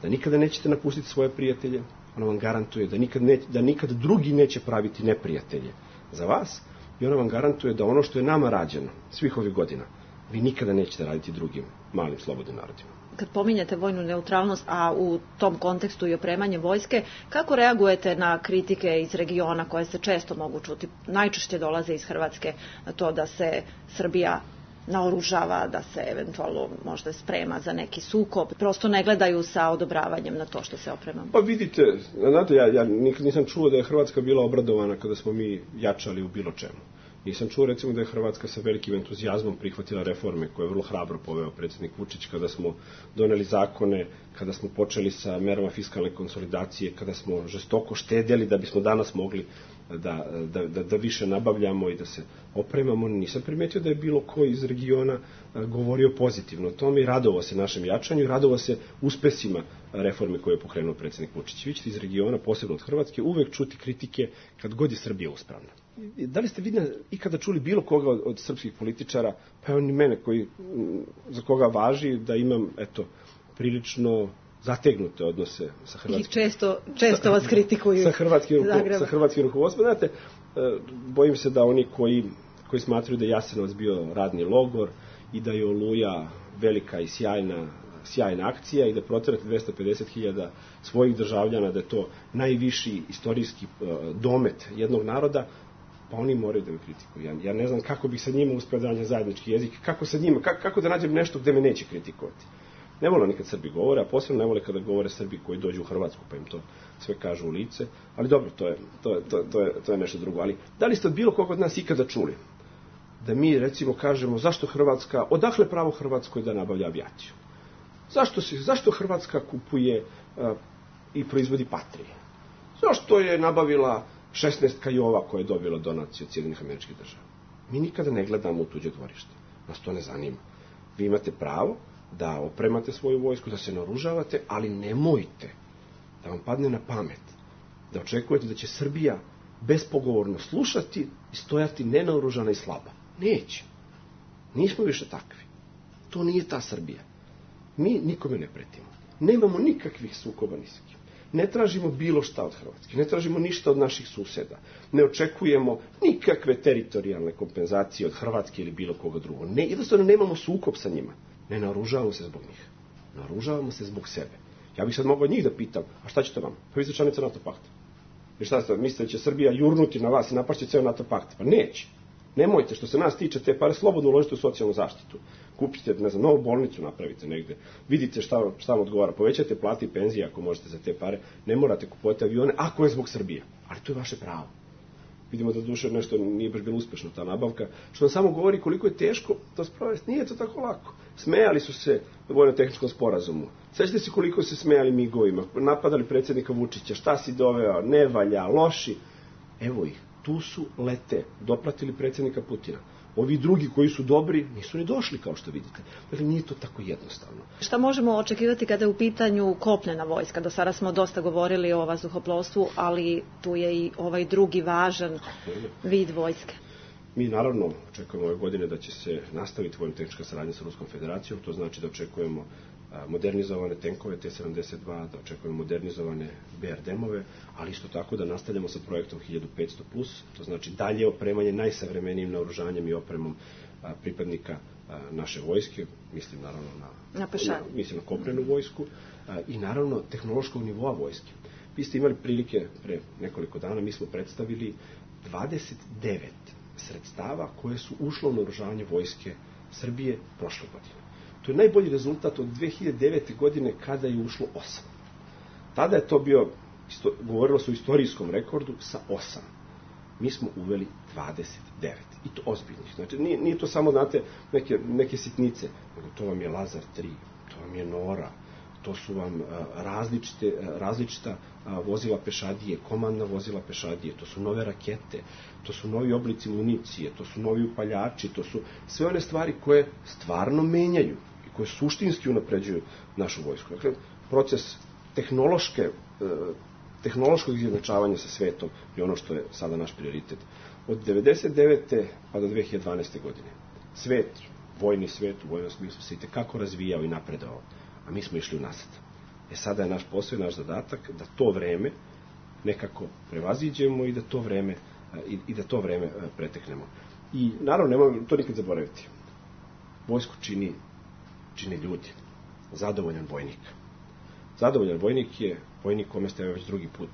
da nikada nećete napustiti svoje prijatelje, ona vam garantuje da nikad, ne, da nikad drugi neće praviti neprijatelje za vas i ona vam garantuje da ono što je nama rađeno svih ovih godina, vi nikada nećete raditi drugim malim slobodnim narodima. Kad pominjete vojnu neutralnost, a u tom kontekstu i opremanje vojske, kako reagujete na kritike iz regiona koje se često mogu čuti? Najčešće dolaze iz Hrvatske na to da se Srbija naoružava, da se eventualno možda sprema za neki sukob. Prosto ne gledaju sa odobravanjem na to što se opremamo. Pa vidite, znate, ja, ja nikad nisam čuo da je Hrvatska bila obradovana kada smo mi jačali u bilo čemu. Nisam čuo recimo da je Hrvatska sa velikim entuzijazmom prihvatila reforme koje je vrlo hrabro poveo predsjednik Vučić kada smo doneli zakone, kada smo počeli sa merama fiskalne konsolidacije, kada smo žestoko štedjeli da bismo danas mogli da, da, da, da više nabavljamo i da se opremamo. Nisam primetio da je bilo ko iz regiona govorio pozitivno o tome i radovao se našem jačanju i radovao se uspesima reforme koje je pokrenuo predsjednik Vučić. Vi ćete iz regiona, posebno od Hrvatske, uvek čuti kritike kad god je Srbija uspravna. Da li ste vidjeli ikada čuli bilo koga od, od srpskih političara, pa evo ni mene koji, za koga važi da imam, eto, prilično zategnute odnose sa hrvatskim... I često, često vas kritikuju. Sa hrvatskim, sa hrvatskim rukovodstvom. Znate, bojim se da oni koji, koji smatruju da je Jasenovac bio radni logor i da je Oluja velika i sjajna, sjajna akcija i da proterate dvesta pedeset hiljada svojih državljana, da je to najviši istorijski domet jednog naroda, pa oni moraju da me kritikuju. Ja, ja ne znam kako bih sa njima uspeo da nađem zajednički jezik, kako sa njima, kako, kako da nađem nešto gde me neće kritikovati. Ne vole nikad Srbi govore, a posebno ne vole kada govore Srbi koji dođu u Hrvatsku, pa im to sve kažu u lice. Ali dobro, to je, to je, to je, to je, to je nešto drugo. Ali da li ste od bilo koga od nas ikada čuli da mi, recimo, kažemo zašto Hrvatska, odakle pravo Hrvatskoj da nabavlja avijaciju? Zašto, se, zašto Hrvatska kupuje a, i proizvodi Patrije? Zašto je nabavila šesnaest Kajova koje je dobila donaciju od Sjedinjenih Američkih Država? Mi nikada ne gledamo u tuđe dvorište. Nas to ne zanima. Vi imate pravo da opremate svoju vojsku, da se naoružavate, ali nemojte da vam padne na pamet da očekujete da će Srbija bespogovorno slušati i stojati nenaoružana i slaba. Neće. Nismo više takvi. To nije ta Srbija. Mi nikome ne pretimo. Nemamo nikakvih sukoba ni s kim. Ne tražimo bilo šta od Hrvatske. Ne tražimo ništa od naših suseda. Ne očekujemo nikakve teritorijalne kompenzacije od Hrvatske ili bilo koga drugog. Ne, jednostavno nemamo sukob sa njima. Ne naoružavamo se zbog njih. Naoružavamo se zbog sebe. Ja bih sad mogao od njih da pitam, a šta ćete vam? Pa vi ste članica NATO pakta. I šta ste, mislite da će Srbija jurnuti na vas i napašće ceo NATO pakt? Pa neće. Nemojte, što se nas tiče, te pare slobodno uložite u socijalnu zaštitu. Kupite, ne znam, novu bolnicu napravite negde. Vidite šta, šta vam odgovara. Povećate plate i penzije ako možete za te pare. Ne morate kupovati avione ako je zbog Srbije. Ali to je vaše pravo. Vidimo da duše nešto nije baš bilo uspešno ta nabavka, što nam samo govori koliko je teško to sprovesti. Nije to tako lako. Smejali su se vojno-tehničkom sporazumu. Sećate se koliko se smejali migovima, napadali predsjednika Vučića, šta si doveo, ne valja, loši. Evo ih, tu su, lete, dopratili predsjednika Putina. Ovi drugi koji su dobri nisu ni došli, kao što vidite. Dakle, nije to tako jednostavno. Šta možemo očekivati kada je u pitanju kopnena vojska? Do sada smo dosta govorili o vazduhoplovstvu, ali tu je i ovaj drugi važan vid vojske. Mi naravno očekujemo ove godine da će se nastaviti vojno-tehnička saradnja sa Ruskom federacijom. To znači da očekujemo modernizovane tenkove T sedamdeset dva, da očekujemo modernizovane B R D M-ove, ali isto tako da nastavljamo sa projektom hiljadu petsto plus, to znači dalje opremanje najsavremenijim naoružanjem i opremom a, pripadnika a, naše vojske, mislim naravno na, na, na, mislim na kopnenu vojsku a, i naravno tehnološkog nivoa vojske. Vi ste imali prilike pre nekoliko dana, mi smo predstavili dvadeset devet sredstava koje su ušlo u naoružanje vojske Srbije prošle godine. To je najbolji rezultat od dve hiljade devete. godine kada je ušlo osam. Tada je to bio, isto, govorilo se o istorijskom rekordu, sa osam. Mi smo uveli dvadeset devet. I to ozbiljnih. Znači, nije, nije to samo, znate, neke, neke sitnice, nego to vam je Lazar tri, to vam je Nora, to su vam a, različite, a, različita a, vozila pešadije, komandna vozila pešadije, to su nove rakete, to su novi oblici municije, to su novi upaljači, to su sve one stvari koje stvarno menjaju i koje suštinski unapređuju našu vojsku. Dakle, proces tehnološke, tehnološkog izjednačavanja sa svetom je ono što je sada naš prioritet. Od devedeset devete pa do dve hiljade dvanaeste. godine. Svet, vojni svet u vojnom smislu se itekako razvijao i napredovao, a mi smo išli unazad. E sada je naš posao i naš zadatak da to vreme nekako prevaziđemo i da to vreme i, i da to vreme preteknemo. I naravno, nemojmo to nikad zaboraviti. Vojsku čini, čini ljudi. Zadovoljan vojnik. Zadovoljan vojnik je vojnik kome ste već drugi put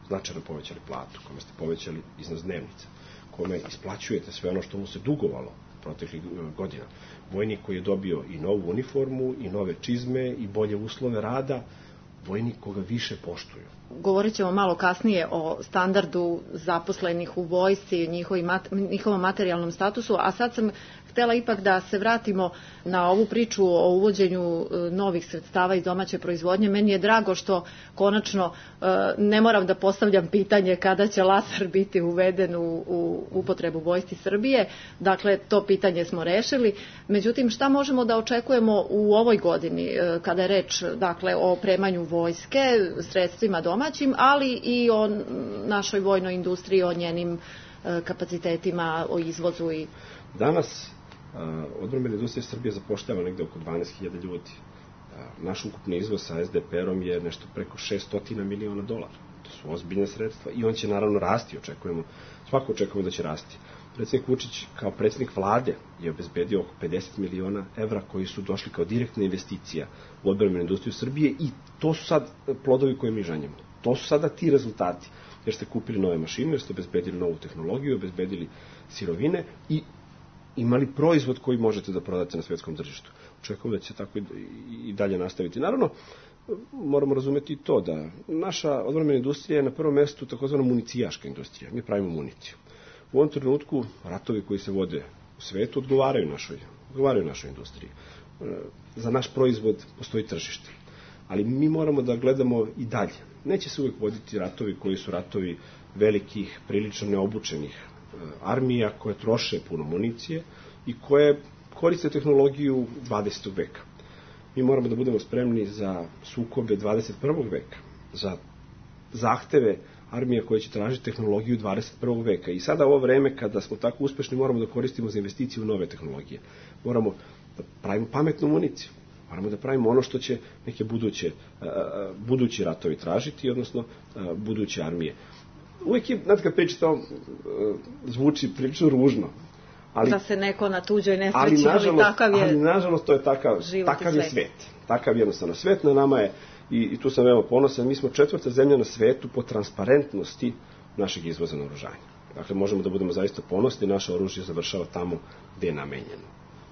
značajno povećali platu, kome ste povećali iznos dnevnica, kome isplaćujete sve ono što mu se dugovalo proteklih godina. Vojnik koji je dobio i novu uniformu, i nove čizme, i bolje uslove rada, vojnik koga više poštuju. Govorit ćemo malo kasnije o standardu zaposlenih u vojsci, njihovom materijalnom statusu, a sad sam htjela ipak da se vratimo na ovu priču o uvođenju novih sredstava iz domaće proizvodnje. Meni je drago što konačno ne moram da postavljam pitanje kada će laser biti uveden u, u upotrebu vojsci Srbije. Dakle, to pitanje smo rešili. Međutim, šta možemo da očekujemo u ovoj godini kada je reč, dakle, o opremanju vojske, sredstvima domaćim, ali i o našoj vojnoj industriji, o njenim kapacitetima, o izvozu i... Danas odbrambena industrija Srbije zapošljava negde oko dvanaest hiljada ljudi. Naš ukupni izvoz sa S D P R-om je nešto preko šesto miliona dolara. To su ozbiljne sredstva i on će naravno rasti, očekujemo, svako očekujemo da će rasti. Predsjednik Vučić kao predsjednik vlade je obezbedio oko pedeset miliona evra koji su došli kao direktna investicija u odbrambenu industriju Srbije i to su sad plodovi koje mi žanjemo. To su sada ti rezultati, jer ste kupili nove mašine, jer ste obezbedili novu tehnologiju, obezbedili sirovine i imali proizvod koji možete da prodate na svetskom tržištu. očekujemo da će tako i dalje nastaviti. Naravno, moramo razumeti i to da naša odbrambena industrija je na prvom mestu takozvana municijaška industrija. Mi pravimo municiju. U ovom trenutku ratovi koji se vode u svetu odgovaraju našoj, odgovaraju našoj industriji. Za naš proizvod postoji tržište. Ali mi moramo da gledamo i dalje. Neće se uvijek voditi ratovi koji su ratovi velikih, prilično neobučenih armija koje troše puno municije i koje koriste tehnologiju dvadesetog veka. Mi moramo da budemo spremni za sukobe dvadeset prvog veka, za zahteve armija koje će tražiti tehnologiju dvadeset prvog veka. I sada ovo vreme kada smo tako uspešni moramo da koristimo za investiciju u nove tehnologije. Moramo da pravimo pametnu municiju. Moramo da pravimo ono što će neke buduće, budući ratovi tražiti, odnosno buduće armije. Uvijek je, znate kad pričate to, zvuči prilično ružno. Ali, da se neko na tuđoj nesreći, ali, ali takav je... Ali nažalost to je takav, takav je svet. Takav jednostavno svet. Na nama je, i, i tu sam veoma ponosan, mi smo četvrta zemlja na svetu po transparentnosti našeg izvoza naoružanja. Dakle, možemo da budemo zaista ponosni, naše oružje završava tamo gde je namenjeno.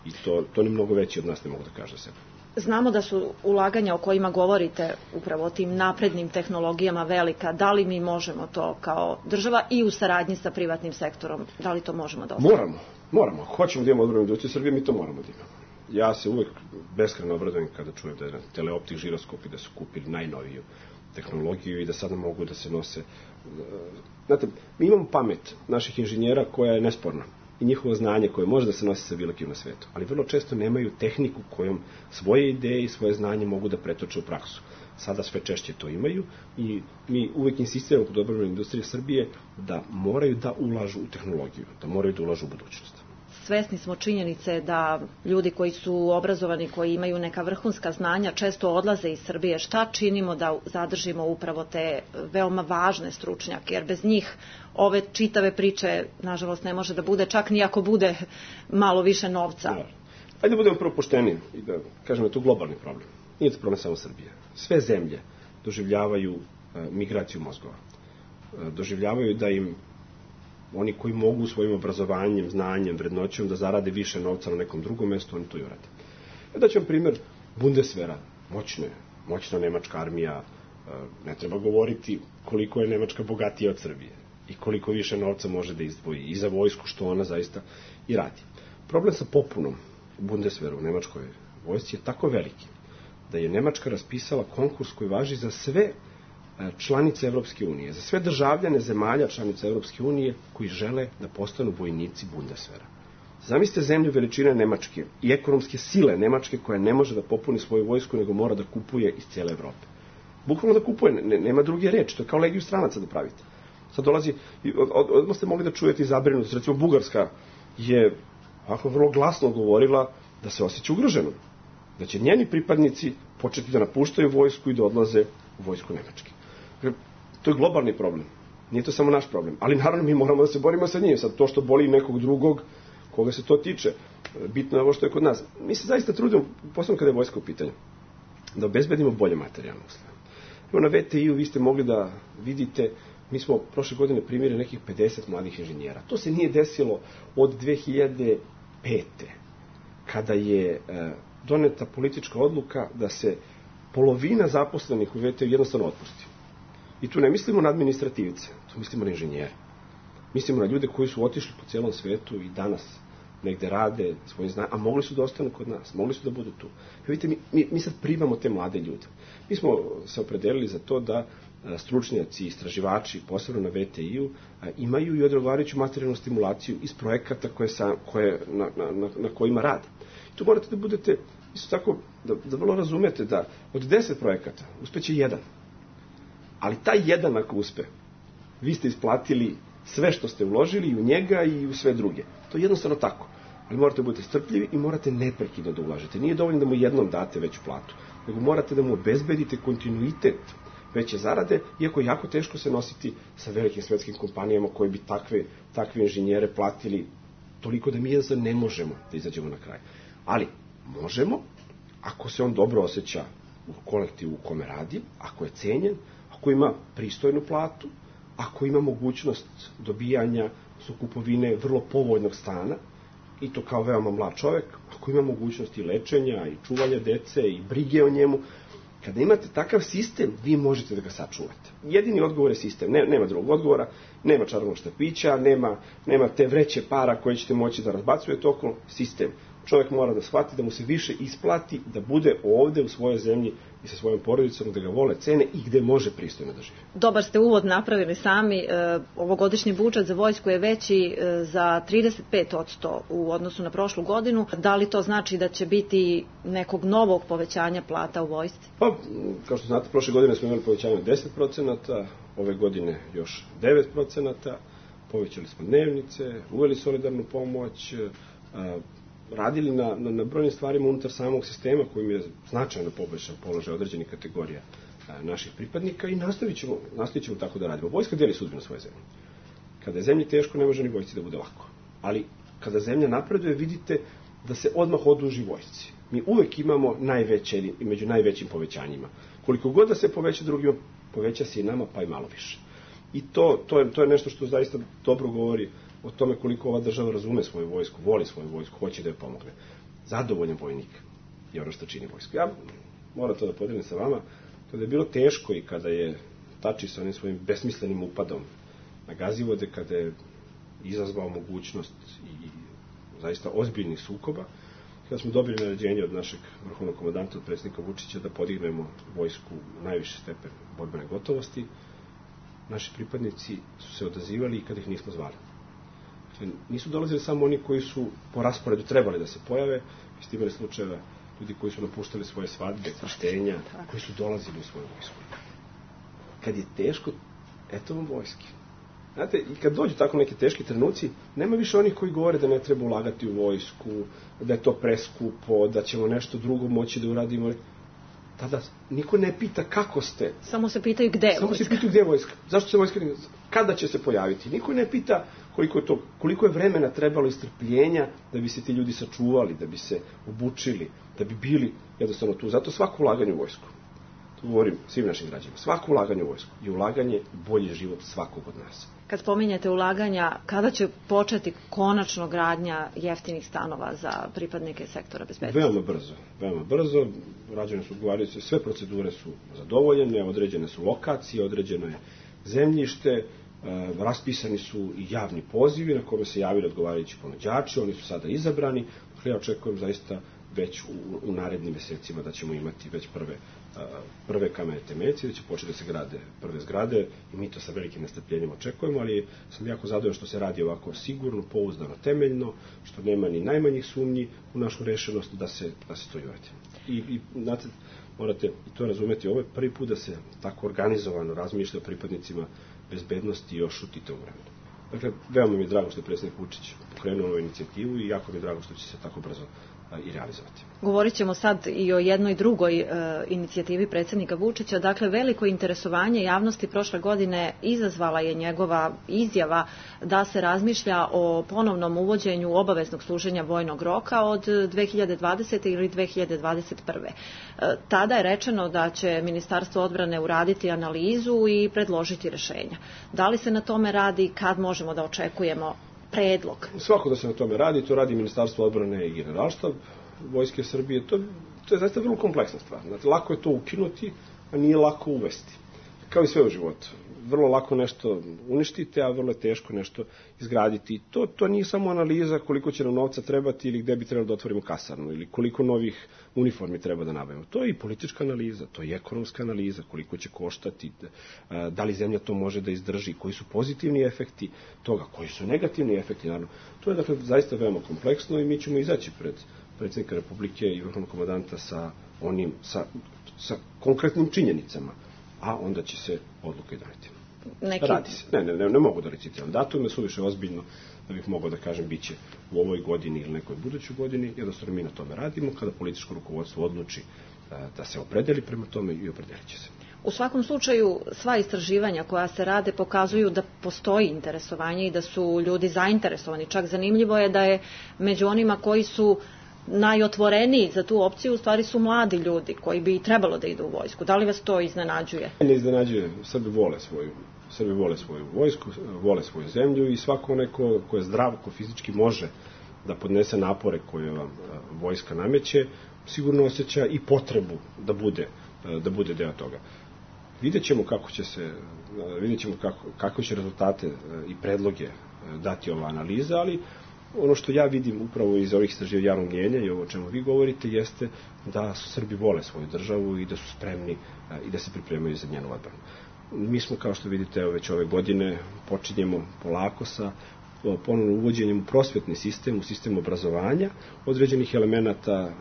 I to, to ni mnogo veći od nas ne mogu da kaže sebe. Znamo da su ulaganja o kojima govorite, upravo o tim naprednim tehnologijama velika. Da li mi možemo to kao država i u saradnji sa privatnim sektorom, da li to možemo da ostavimo? Moramo, moramo. Ako hoćemo da imamo odbrambenu industriju Srbije, mi to moramo da imamo. Ja se uvek beskrajno obradujem kada čujem da je teleoptik žiroskopi da su kupili najnoviju tehnologiju i da sada mogu da se nose. Znate, mi imamo pamet naših inženjera koja je nesporna i njihovo znanje koje može da se nosi sa bilo kim na svetu, ali vrlo često nemaju tehniku kojom svoje ideje i svoje znanje mogu da pretoče u praksu. Sada sve češće to imaju i mi uvek insistiramo kod odbrambene industrije Srbije da moraju da ulažu u tehnologiju, da moraju da ulažu u budućnost. Svesni smo činjenice da ljudi koji su obrazovani, koji imaju neka vrhunska znanja, često odlaze iz Srbije. Šta činimo da zadržimo upravo te veoma važne stručnjake? Jer bez njih ove čitave priče, nažalost, ne može da bude, čak ni ako bude malo više novca. Ja. Ajde da budemo prvo pošteni i da kažemo da je to globalni problem. Nije to problem samo Srbije. Sve zemlje doživljavaju e, migraciju mozgova. E, doživljavaju da im oni koji mogu svojim obrazovanjem, znanjem, vrednoćom da zarade više novca na nekom drugom mestu, oni to i urade. Da ću vam primjer Bundeswehra, moćne, moćna nemačka armija, ne treba govoriti koliko je Nemačka bogatija od Srbije i koliko više novca može da izdvoji i za vojsku, što ona zaista i radi. Problem sa popunom Bundeswehra u nemačkoj vojsci je tako veliki da je Nemačka raspisala konkurs koji važi za sve članice Evropske unije, za sve državljane zemalja članice Evropske unije koji žele da postanu vojnici Bundeswehra. Zamislite zemlju veličine Nemačke i ekonomske sile Nemačke koja ne može da popuni svoju vojsku, nego mora da kupuje iz cijele Evrope. Bukvalno da kupuje, ne, nema druge reči, to je kao legiju stranaca da pravite. Sad dolazi, od, od, odmah ste mogli da čujete i zabrinutost, recimo Bugarska je ovako vrlo glasno govorila da se osjeća ugroženom, da će njeni pripadnici početi da napuštaju vojsku i da odlaze u vojsku Nemačke. To je globalni problem. Nije to samo naš problem. Ali naravno mi moramo da se borimo sa njim. Sad to što boli nekog drugog, koga se to tiče, bitno je ovo što je kod nas. Mi se zaista trudimo, posebno kada je vojska u pitanju, da obezbedimo bolje materijalne uslove. Evo na V T I-u vi ste mogli da vidite, mi smo prošle godine primili nekih pedeset mladih inženjera. To se nije desilo od dve hiljade pete. Kada je e, doneta politička odluka da se polovina zaposlenih u V T I-u jednostavno otpusti. I tu ne mislimo na administrativce, tu mislimo na inženjere. Mislimo na ljude koji su otišli po cijelom svetu i danas negde rade svojim znanjem, a mogli su da ostanu kod nas, mogli su da budu tu. I vidite, mi, mi, mi sad primamo te mlade ljude. Mi smo se opredelili za to da a, stručnjaci, istraživači, posebno na V T I-u, a, imaju i odgovarajuću materijalnu stimulaciju iz projekata koje sa, koje, na, na, na, na kojima rade. I tu morate da budete, isto tako, da, da vrlo razumete da od deset projekata uspeće jedan. Ali taj jedan ako uspe, vi ste isplatili sve što ste uložili i u njega i u sve druge. To je jednostavno tako. Ali morate da budete strpljivi i morate neprekidno da ulažete. Nije dovoljno da mu jednom date veću platu, nego morate da mu obezbedite kontinuitet veće zarade, iako je jako teško se nositi sa velikim svetskim kompanijama koji bi takve, takve inženjere platili toliko da mi jednostavno ne možemo da izađemo na kraj. Ali možemo, ako se on dobro osjeća u kolektivu u kome radi, ako je cenjen, ako ima pristojnu platu, ako ima mogućnost dobijanja su kupovine vrlo povoljnog stana, i to kao veoma mlad čovek, ako ima mogućnosti lečenja i čuvanja dece i brige o njemu, kada imate takav sistem, vi možete da ga sačuvate. Jedini odgovor je sistem, ne, nema drugog odgovora, nema čarobnog štapića, nema, nema te vreće para koje ćete moći da razbacujete okolo, sistem. Čovjek mora da shvati da mu se više isplati da bude ovde u svojoj zemlji i sa svojom porodicom, da ga vole, cene i gde može pristojno da živi. Dobar ste uvod napravili sami. E, ovogodišnji budžet za vojsku je veći e, za trideset pet posto u odnosu na prošlu godinu. Da li to znači da će biti nekog novog povećanja plata u vojsci? Pa, kao što znate, prošle godine smo imali povećanje od deset procenata, ove godine još devet procenata, povećali smo dnevnice, uveli solidarnu pomoć, a, radili na, na, na brojnim stvarima unutar samog sistema kojim je značajno poboljšan položaj određenih kategorija a, naših pripadnika i nastavit ćemo, nastavit ćemo tako da radimo. Vojska deli sudbinu svoje zemlje. Kada je zemlji teško, ne može ni vojsci da bude lako. Ali kada zemlja napreduje, vidite da se odmah oduži vojsci. Mi uvek imamo najveće i među najvećim povećanjima. Koliko god da se poveća drugima, poveća se i nama, pa i malo više. I to, to, je, to je nešto što zaista dobro govori o tome koliko ova država razume svoju vojsku, voli svoju vojsku, hoće da je pomogne. Zadovoljan vojnik je ono što čini vojsku. Ja moram to da podelim sa vama, kada je bilo teško i kada je Tači sa onim svojim besmislenim upadom na Gazivode, kada je izazvao mogućnost i zaista ozbiljnih sukoba, kada smo dobili naređenje od našeg vrhovnog komandanta, od predsjednika Vučića, da podignemo vojsku u najviši stepen borbene gotovosti, naši pripadnici su se odazivali i kada ih nismo zvali. Nisu dolazili samo oni koji su po rasporedu trebali da se pojave, vi ste imali slučajeva ljudi koji su napuštali svoje svadbe, krštenja, koji su dolazili u svoju vojsku. Kad je teško, eto vam vojski. Znate, i kad dođu tako neki teški trenuci, nema više onih koji govore da ne treba ulagati u vojsku, da je to preskupo, da ćemo nešto drugo moći da uradimo. Tada niko ne pita kako ste. Samo se pitaju gde je Samo vojska. se pitaju gde je vojska. Zašto se vojska, kada će se pojaviti? Niko ne pita koliko je, to, koliko je vremena trebalo i strpljenja da bi se ti ljudi sačuvali, da bi se obučili, da bi bili jednostavno tu. Zato svako ulaganje u vojsku, to govorim svim našim građanima, svako ulaganje u vojsku je ulaganje u bolji život svakog od nas. Kad spominjete ulaganja, kada će početi konačno gradnja jeftinih stanova za pripadnike sektora bezbednosti? Veoma brzo, veoma brzo. Rađene su odgovarajuće, sve procedure su zadovoljene, određene su lokacije, određeno je zemljište, e, raspisani su i javni pozivi na kome se javili odgovarajući ponuđači, oni su sada izabrani. Dakle, ja očekujem zaista već u, u narednim mesecima da ćemo imati već prve, a, prve kamene temeljce, da će početi da se grade prve zgrade i mi to sa velikim nestrpljenjem očekujemo, ali sam jako zadovoljan što se radi ovako sigurno, pouzdano, temeljno, što nema ni najmanjih sumnji u našu rešenost da se, da se to i uradi. I, i znate, morate i to razumeti, ovo je prvi put da se tako organizovano razmišlja o pripadnicima bezbednosti još u Titovom vremenu. Dakle, veoma mi je drago što je predsjednik Vučić pokrenuo ovu inicijativu i jako mi je drago što će se tako brzo i realizovati. Govorit ćemo sad i o jednoj drugoj e, inicijativi predsjednika Vučića. Dakle, veliko interesovanje javnosti prošle godine izazvala je njegova izjava da se razmišlja o ponovnom uvođenju obaveznog služenja vojnog roka od dve hiljade dvadesete. ili dve hiljade dvadeset prve. E, tada je rečeno da će Ministarstvo odbrane uraditi analizu i predložiti rešenja. Da li se na tome radi, kad možemo da očekujemo predlog? Svako da se na tome radi, to radi Ministarstvo odbrane i Generalštab Vojske Srbije. To, to je zaista vrlo kompleksna stvar. Znači, lako je to ukinuti, a nije lako uvesti. Kao i sve u životu. Vrlo lako nešto uništite, a vrlo je teško nešto izgraditi. To, to nije samo analiza koliko će nam novca trebati ili gde bi trebalo da otvorimo kasarnu ili koliko novih uniformi treba da nabavimo. To je i politička analiza, to je i ekonomska analiza, koliko će koštati, da li zemlja to može da izdrži, koji su pozitivni efekti toga, koji su negativni efekti. Naravno. To je dakle zaista veoma kompleksno i mi ćemo izaći pred predsjednika Republike i vrhovnog komandanta sa onim, sa, sa konkretnim činjenicama, a onda će se odluka i doneti. Neki... Radi se. Ne, ne, ne, ne mogu da recitiram datum, ne su više ozbiljno da bih mogao da kažem bit će u ovoj godini ili nekoj budućoj godini, jednostavno mi na tome radimo, kada političko rukovodstvo odluči da, da se opredeli prema tome i opredelit će se. U svakom slučaju, sva istraživanja koja se rade pokazuju da postoji interesovanje i da su ljudi zainteresovani. Čak zanimljivo je da je među onima koji su najotvoreniji za tu opciju, u stvari su mladi ljudi koji bi trebalo da idu u vojsku. Da li vas to iznenađuje? Ne iznenađuje. Srbi vole svoju, Srbi vole svoju vojsku, vole svoju zemlju i svako onaj ko, ko je zdrav, ko fizički može da podnese napore koje vam vojska nameće, sigurno osjeća i potrebu da bude, da bude deo toga. Vidjet ćemo kako će se, vidjet ćemo kako, kako će rezultate i predloge dati ova analiza, ali ono što ja vidim upravo iz ovih istraživanja javnog mnjenja i ovo o čemu vi govorite jeste da su Srbi vole svoju državu i da su spremni i da se pripremaju za njenu odbranu. Mi smo, kao što vidite, evo već ove godine počinjemo polako sa ponovno uvođenjem u prosvetni sistem, u sistem obrazovanja, određenih elemenata,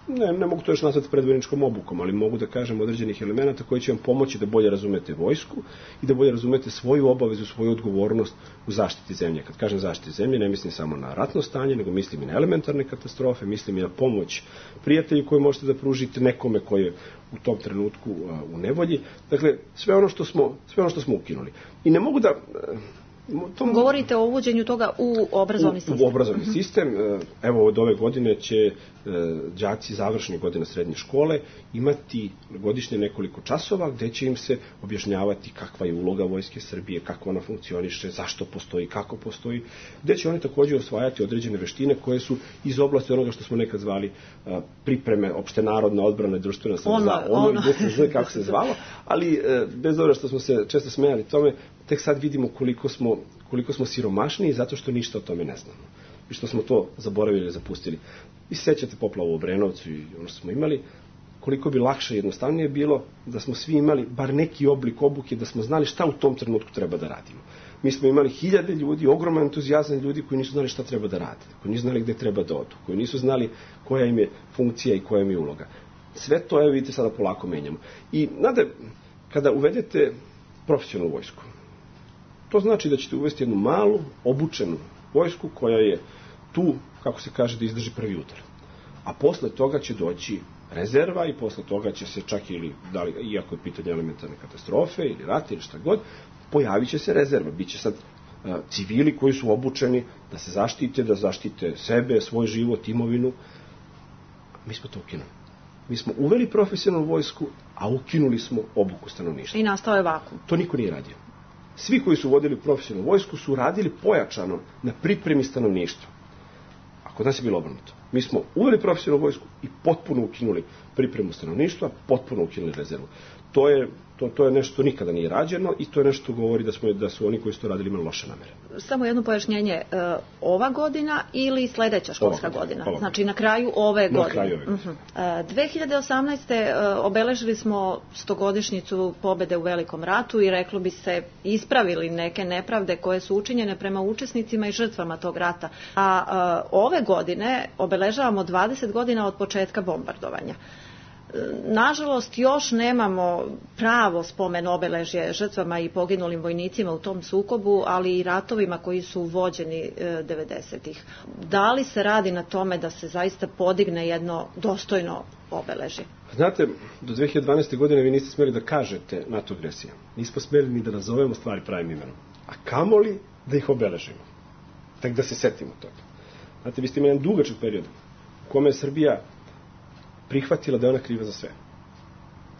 ne, ne mogu to još nazvati predvojničkom obukom, ali mogu da kažem određenih elemenata koji će vam pomoći da bolje razumete vojsku i da bolje razumete svoju obavezu, svoju odgovornost u zaštiti zemlje. Kad kažem zaštiti zemlje, ne mislim samo na ratno stanje, nego mislim i na elementarne katastrofe, mislim i na pomoć prijatelji koju možete da pružite nekome koji je u tom trenutku u nevolji. Dakle, sve ono što smo, sve ono što smo ukinuli. I ne mogu da... Tom... Govorite o uvođenju toga u obrazovni sistem. U, u obrazovni uh-huh. sistem. Evo, od ove godine će e, đaci završnih godina srednje škole imati godišnje nekoliko časova gde će im se objašnjavati kakva je uloga Vojske Srbije, kako ona funkcioniše, zašto postoji, kako postoji, gde će oni takođe osvajati određene veštine koje su iz oblasti onoga što smo nekad zvali a, pripreme, opštenarodna odbrana i društvena samozvala. Ono, ono. ono zna kako se zvalo, ali e, bez obzira što smo se često smejali tome, tek sad vidimo koliko smo, koliko smo siromašni zato što ništa o tome ne znamo. I što smo to zaboravili i zapustili. Vi se sećate poplavu u Obrenovcu i ono što smo imali, koliko bi lakše i jednostavnije bilo da smo svi imali bar neki oblik obuke, da smo znali šta u tom trenutku treba da radimo. Mi smo imali hiljade ljudi, ogroman entuzijazam ljudi koji nisu znali šta treba da rade, koji nisu znali gde treba da odu, koji nisu znali koja im je funkcija i koja im je uloga. Sve to, evo vidite, sada polako menjamo. I, znate, kada uvedete profesionalnu vojsku, to znači da ćete uvesti jednu malu, obučenu vojsku koja je tu, kako se kaže, da izdrži prvi udar. A posle toga će doći rezerva i posle toga će se čak ili, da li, iako je pitanje elementarne katastrofe ili rata ili šta god, pojavit će se rezerva. Biće sad uh, civili koji su obučeni da se zaštite, da zaštite sebe, svoj život, imovinu. Mi smo to ukinuli. Mi smo uveli profesionalnu vojsku, a ukinuli smo obuku stanovništva. I nastao je vakuum. To niko nije radio. Svi koji su vodili profesionalnu vojsku su radili pojačano na pripremi stanovništva. A kod nas je bilo obrnuto. Mi smo uveli profesionalnu vojsku i potpuno ukinuli pripremu stanovništva, potpuno ukinuli rezervu. To je, to, to je nešto što nikada nije rađeno i to je nešto što govori da, smo, da su oni koji su to radili imali loše namere. Samo jedno pojašnjenje, uh, ova godina ili sledeća školska ova godina? Ova. Znači na kraju ove na godine? Kraju ove godine. Uh-huh. Uh, dve hiljade osamnaeste. Uh, obeležili smo stogodišnjicu pobede u Velikom ratu i reklo bi se ispravili neke nepravde koje su učinjene prema učesnicima i žrtvama tog rata. A uh, ove godine obeležavamo dvadeset godina od početka bombardovanja. Nažalost, još nemamo pravo spomen obeležje žrtvama i poginulim vojnicima u tom sukobu, ali i ratovima koji su vođeni devedesetih. Da li se radi na tome da se zaista podigne jedno dostojno obeležje? Znate, do dve hiljade dvanaeste. godine vi niste smeli da kažete NATO agresija. Nismo smeli ni da nazovemo stvari pravim imenom. A kamoli da ih obeležimo. Tak da se setimo toga. Znate, vi ste imali jedan dugačak period u kome je Srbija prihvatila da je ona kriva za sve.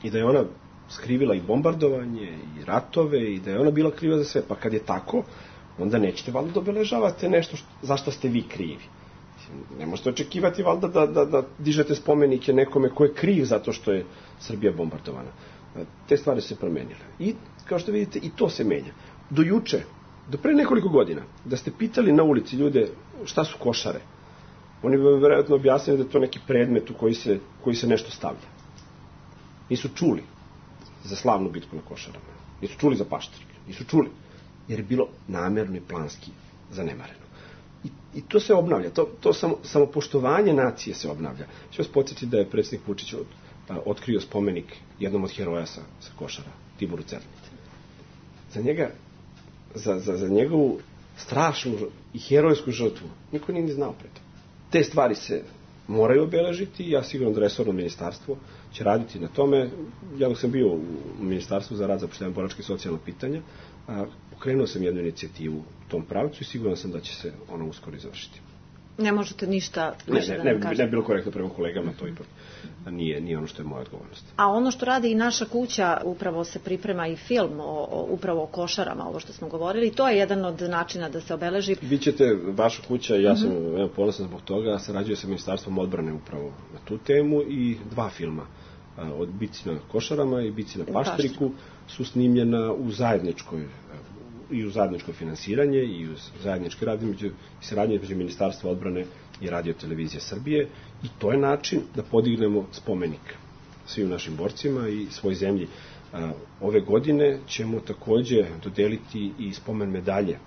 I da je ona skrivila i bombardovanje, i ratove, i da je ona bila kriva za sve. Pa kad je tako, onda nećete valjda da obeležavate nešto što, zašto ste vi krivi. Ne možete očekivati valjda da, da, da dižete spomenike nekome ko je kriv zato što je Srbija bombardovana. Te stvari su se promenile. I, kao što vidite, i to se menja. Do juče, do pre nekoliko godina, da ste pitali na ulici ljude šta su košare, oni bi vjerojatno objasnili da je to neki predmet u koji se, koji se nešto stavlja. Nisu čuli za slavnu bitku na Košarama. Nisu čuli za Paštrik. Nisu čuli. Jer je bilo namerno i planski zanemareno. I, i to se obnavlja. To, to samo, samopoštovanje nacije se obnavlja. Ću vas podsjetiti da je predsjednik Vučić od, a, otkrio spomenik jednom od heroja sa, sa Košara, Tiboru Cernici. Za njega, za, za, za njegovu strašnu i herojsku žrtvu niko nije ni znao pre toga. Te stvari se moraju obeležiti i ja sigurno da resorno ministarstvo će raditi na tome. Ja dok sam bio u Ministarstvu za rad, zapošljavanje, boračka i socijalna pitanja, a, pokrenuo sam jednu inicijativu u tom pravcu i siguran sam da će se ona uskoro izvršiti. Ne možete ništa ne, više ne, da ne, nam kažete. ne bilo korektno prema kolegama, to ipak nije, nije ono što je moja odgovornost. A ono što radi i naša kuća, upravo se priprema i film o, o, upravo o košarama, ovo što smo govorili, to je jedan od načina da se obeleži. Vi ćete, vaša kuća, ja sam uh-huh. evo, ponosan zbog toga, sarađuje sa Ministarstvom odbrane upravo na tu temu i dva filma od Bici na košarama i Bici na paštriku su snimljena u zajedničkoj i u zajedničko finansiranje i u zajednički rad i saradnje između Ministarstva odbrane i Radio televizije Srbije i to je način da podignemo spomenik svim našim borcima i svoj zemlji. Ove godine ćemo takođe dodeliti i spomen medalje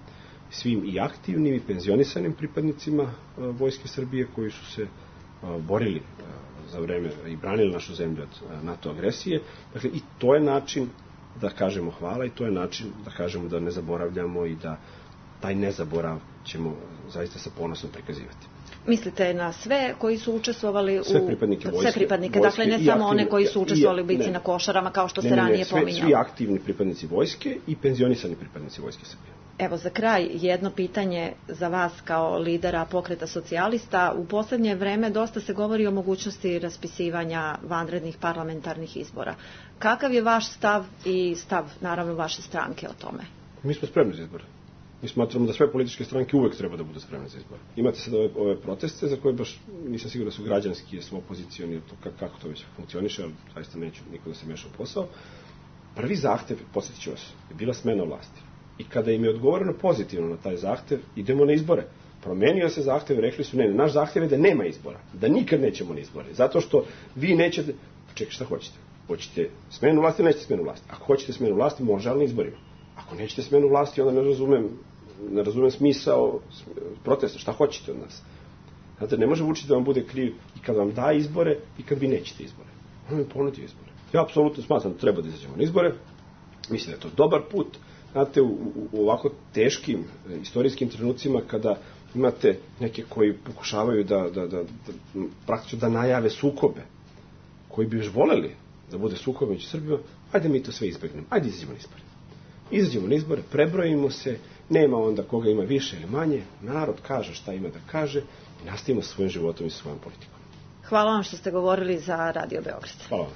svim i aktivnim i penzionisanim pripadnicima Vojske Srbije koji su se borili za vreme i branili našu zemlju od NATO agresije. Dakle, i to je način da kažemo hvala i to je način da kažemo da ne zaboravljamo i da taj nezaborav ćemo zaista sa ponosom prikazivati. Mislite na sve koji su učestvovali u... Sve pripadnike vojske. Sve pripadnike, dakle ne samo one koji su učestvovali u bici na košarama, kao što se ranije pominjalo. Svi aktivni pripadnici vojske i penzionisani pripadnici Vojske Srbije. Evo za kraj jedno pitanje za vas kao lidera Pokreta socijalista. U poslednje vreme dosta se govori o mogućnosti raspisivanja vanrednih parlamentarnih izbora. Kakav je vaš stav i stav, naravno, vaše stranke o tome? Mi smo spremni za izbore. Mi smatramo da sve političke stranke uvek treba da budu spremne za izbore. Imate sad ove, ove proteste za koje baš nisam siguran da su građanski, jer su opozicioni, kako to već funkcioniše, ali zaista neću niko da se meša u posao. Prvi zahtev, podsjetit ću vas, je bila smena vlasti. I kada im je odgovoreno pozitivno na taj zahtev, idemo na izbore. Promenio se zahtev i rekli su ne, naš zahtev je da nema izbora, da nikad nećemo na izbore. Zato što vi nećete, čekaj, šta hoćete? Hoćete smenu vlasti, nećete smenu vlasti. Ako hoćete smenu vlasti, može, ali na izborima. Ako nećete smenu vlasti, onda ne razumem, ne razumem smisao protesta. Šta hoćete od nas? Znate, ne može Vučić da vam bude kriv i kad vam da izbore i kad vi nećete izbore. On mi ponudio izbore. Ja apsolutno smatram da treba da izađemo na izbore. Mislim da je to dobar put. Znate, u, u, u ovako teškim e, istorijskim trenucima kada imate neke koji pokušavaju da, da, da, da praktično da najave sukobe, koji bi još voleli da bude sukob među Srbijom, ajde mi to sve izbegnemo, ajde izađemo na izbore. Izađemo na izbore, prebrojimo se, nema onda koga ima više ili manje, narod kaže šta ima da kaže i nastavimo sa svojim životom i sa svojom politikom. Hvala vam što ste govorili za Radio Beograd. Hvala vam.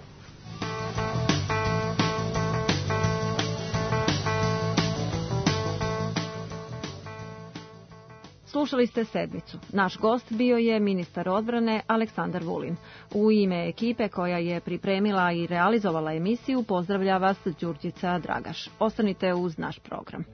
Slušali ste sedmicu. Naš gost bio je ministar odbrane Aleksandar Vulin. U ime ekipe koja je pripremila i realizovala emisiju pozdravlja vas Đurđica Dragaš. Ostanite uz naš program.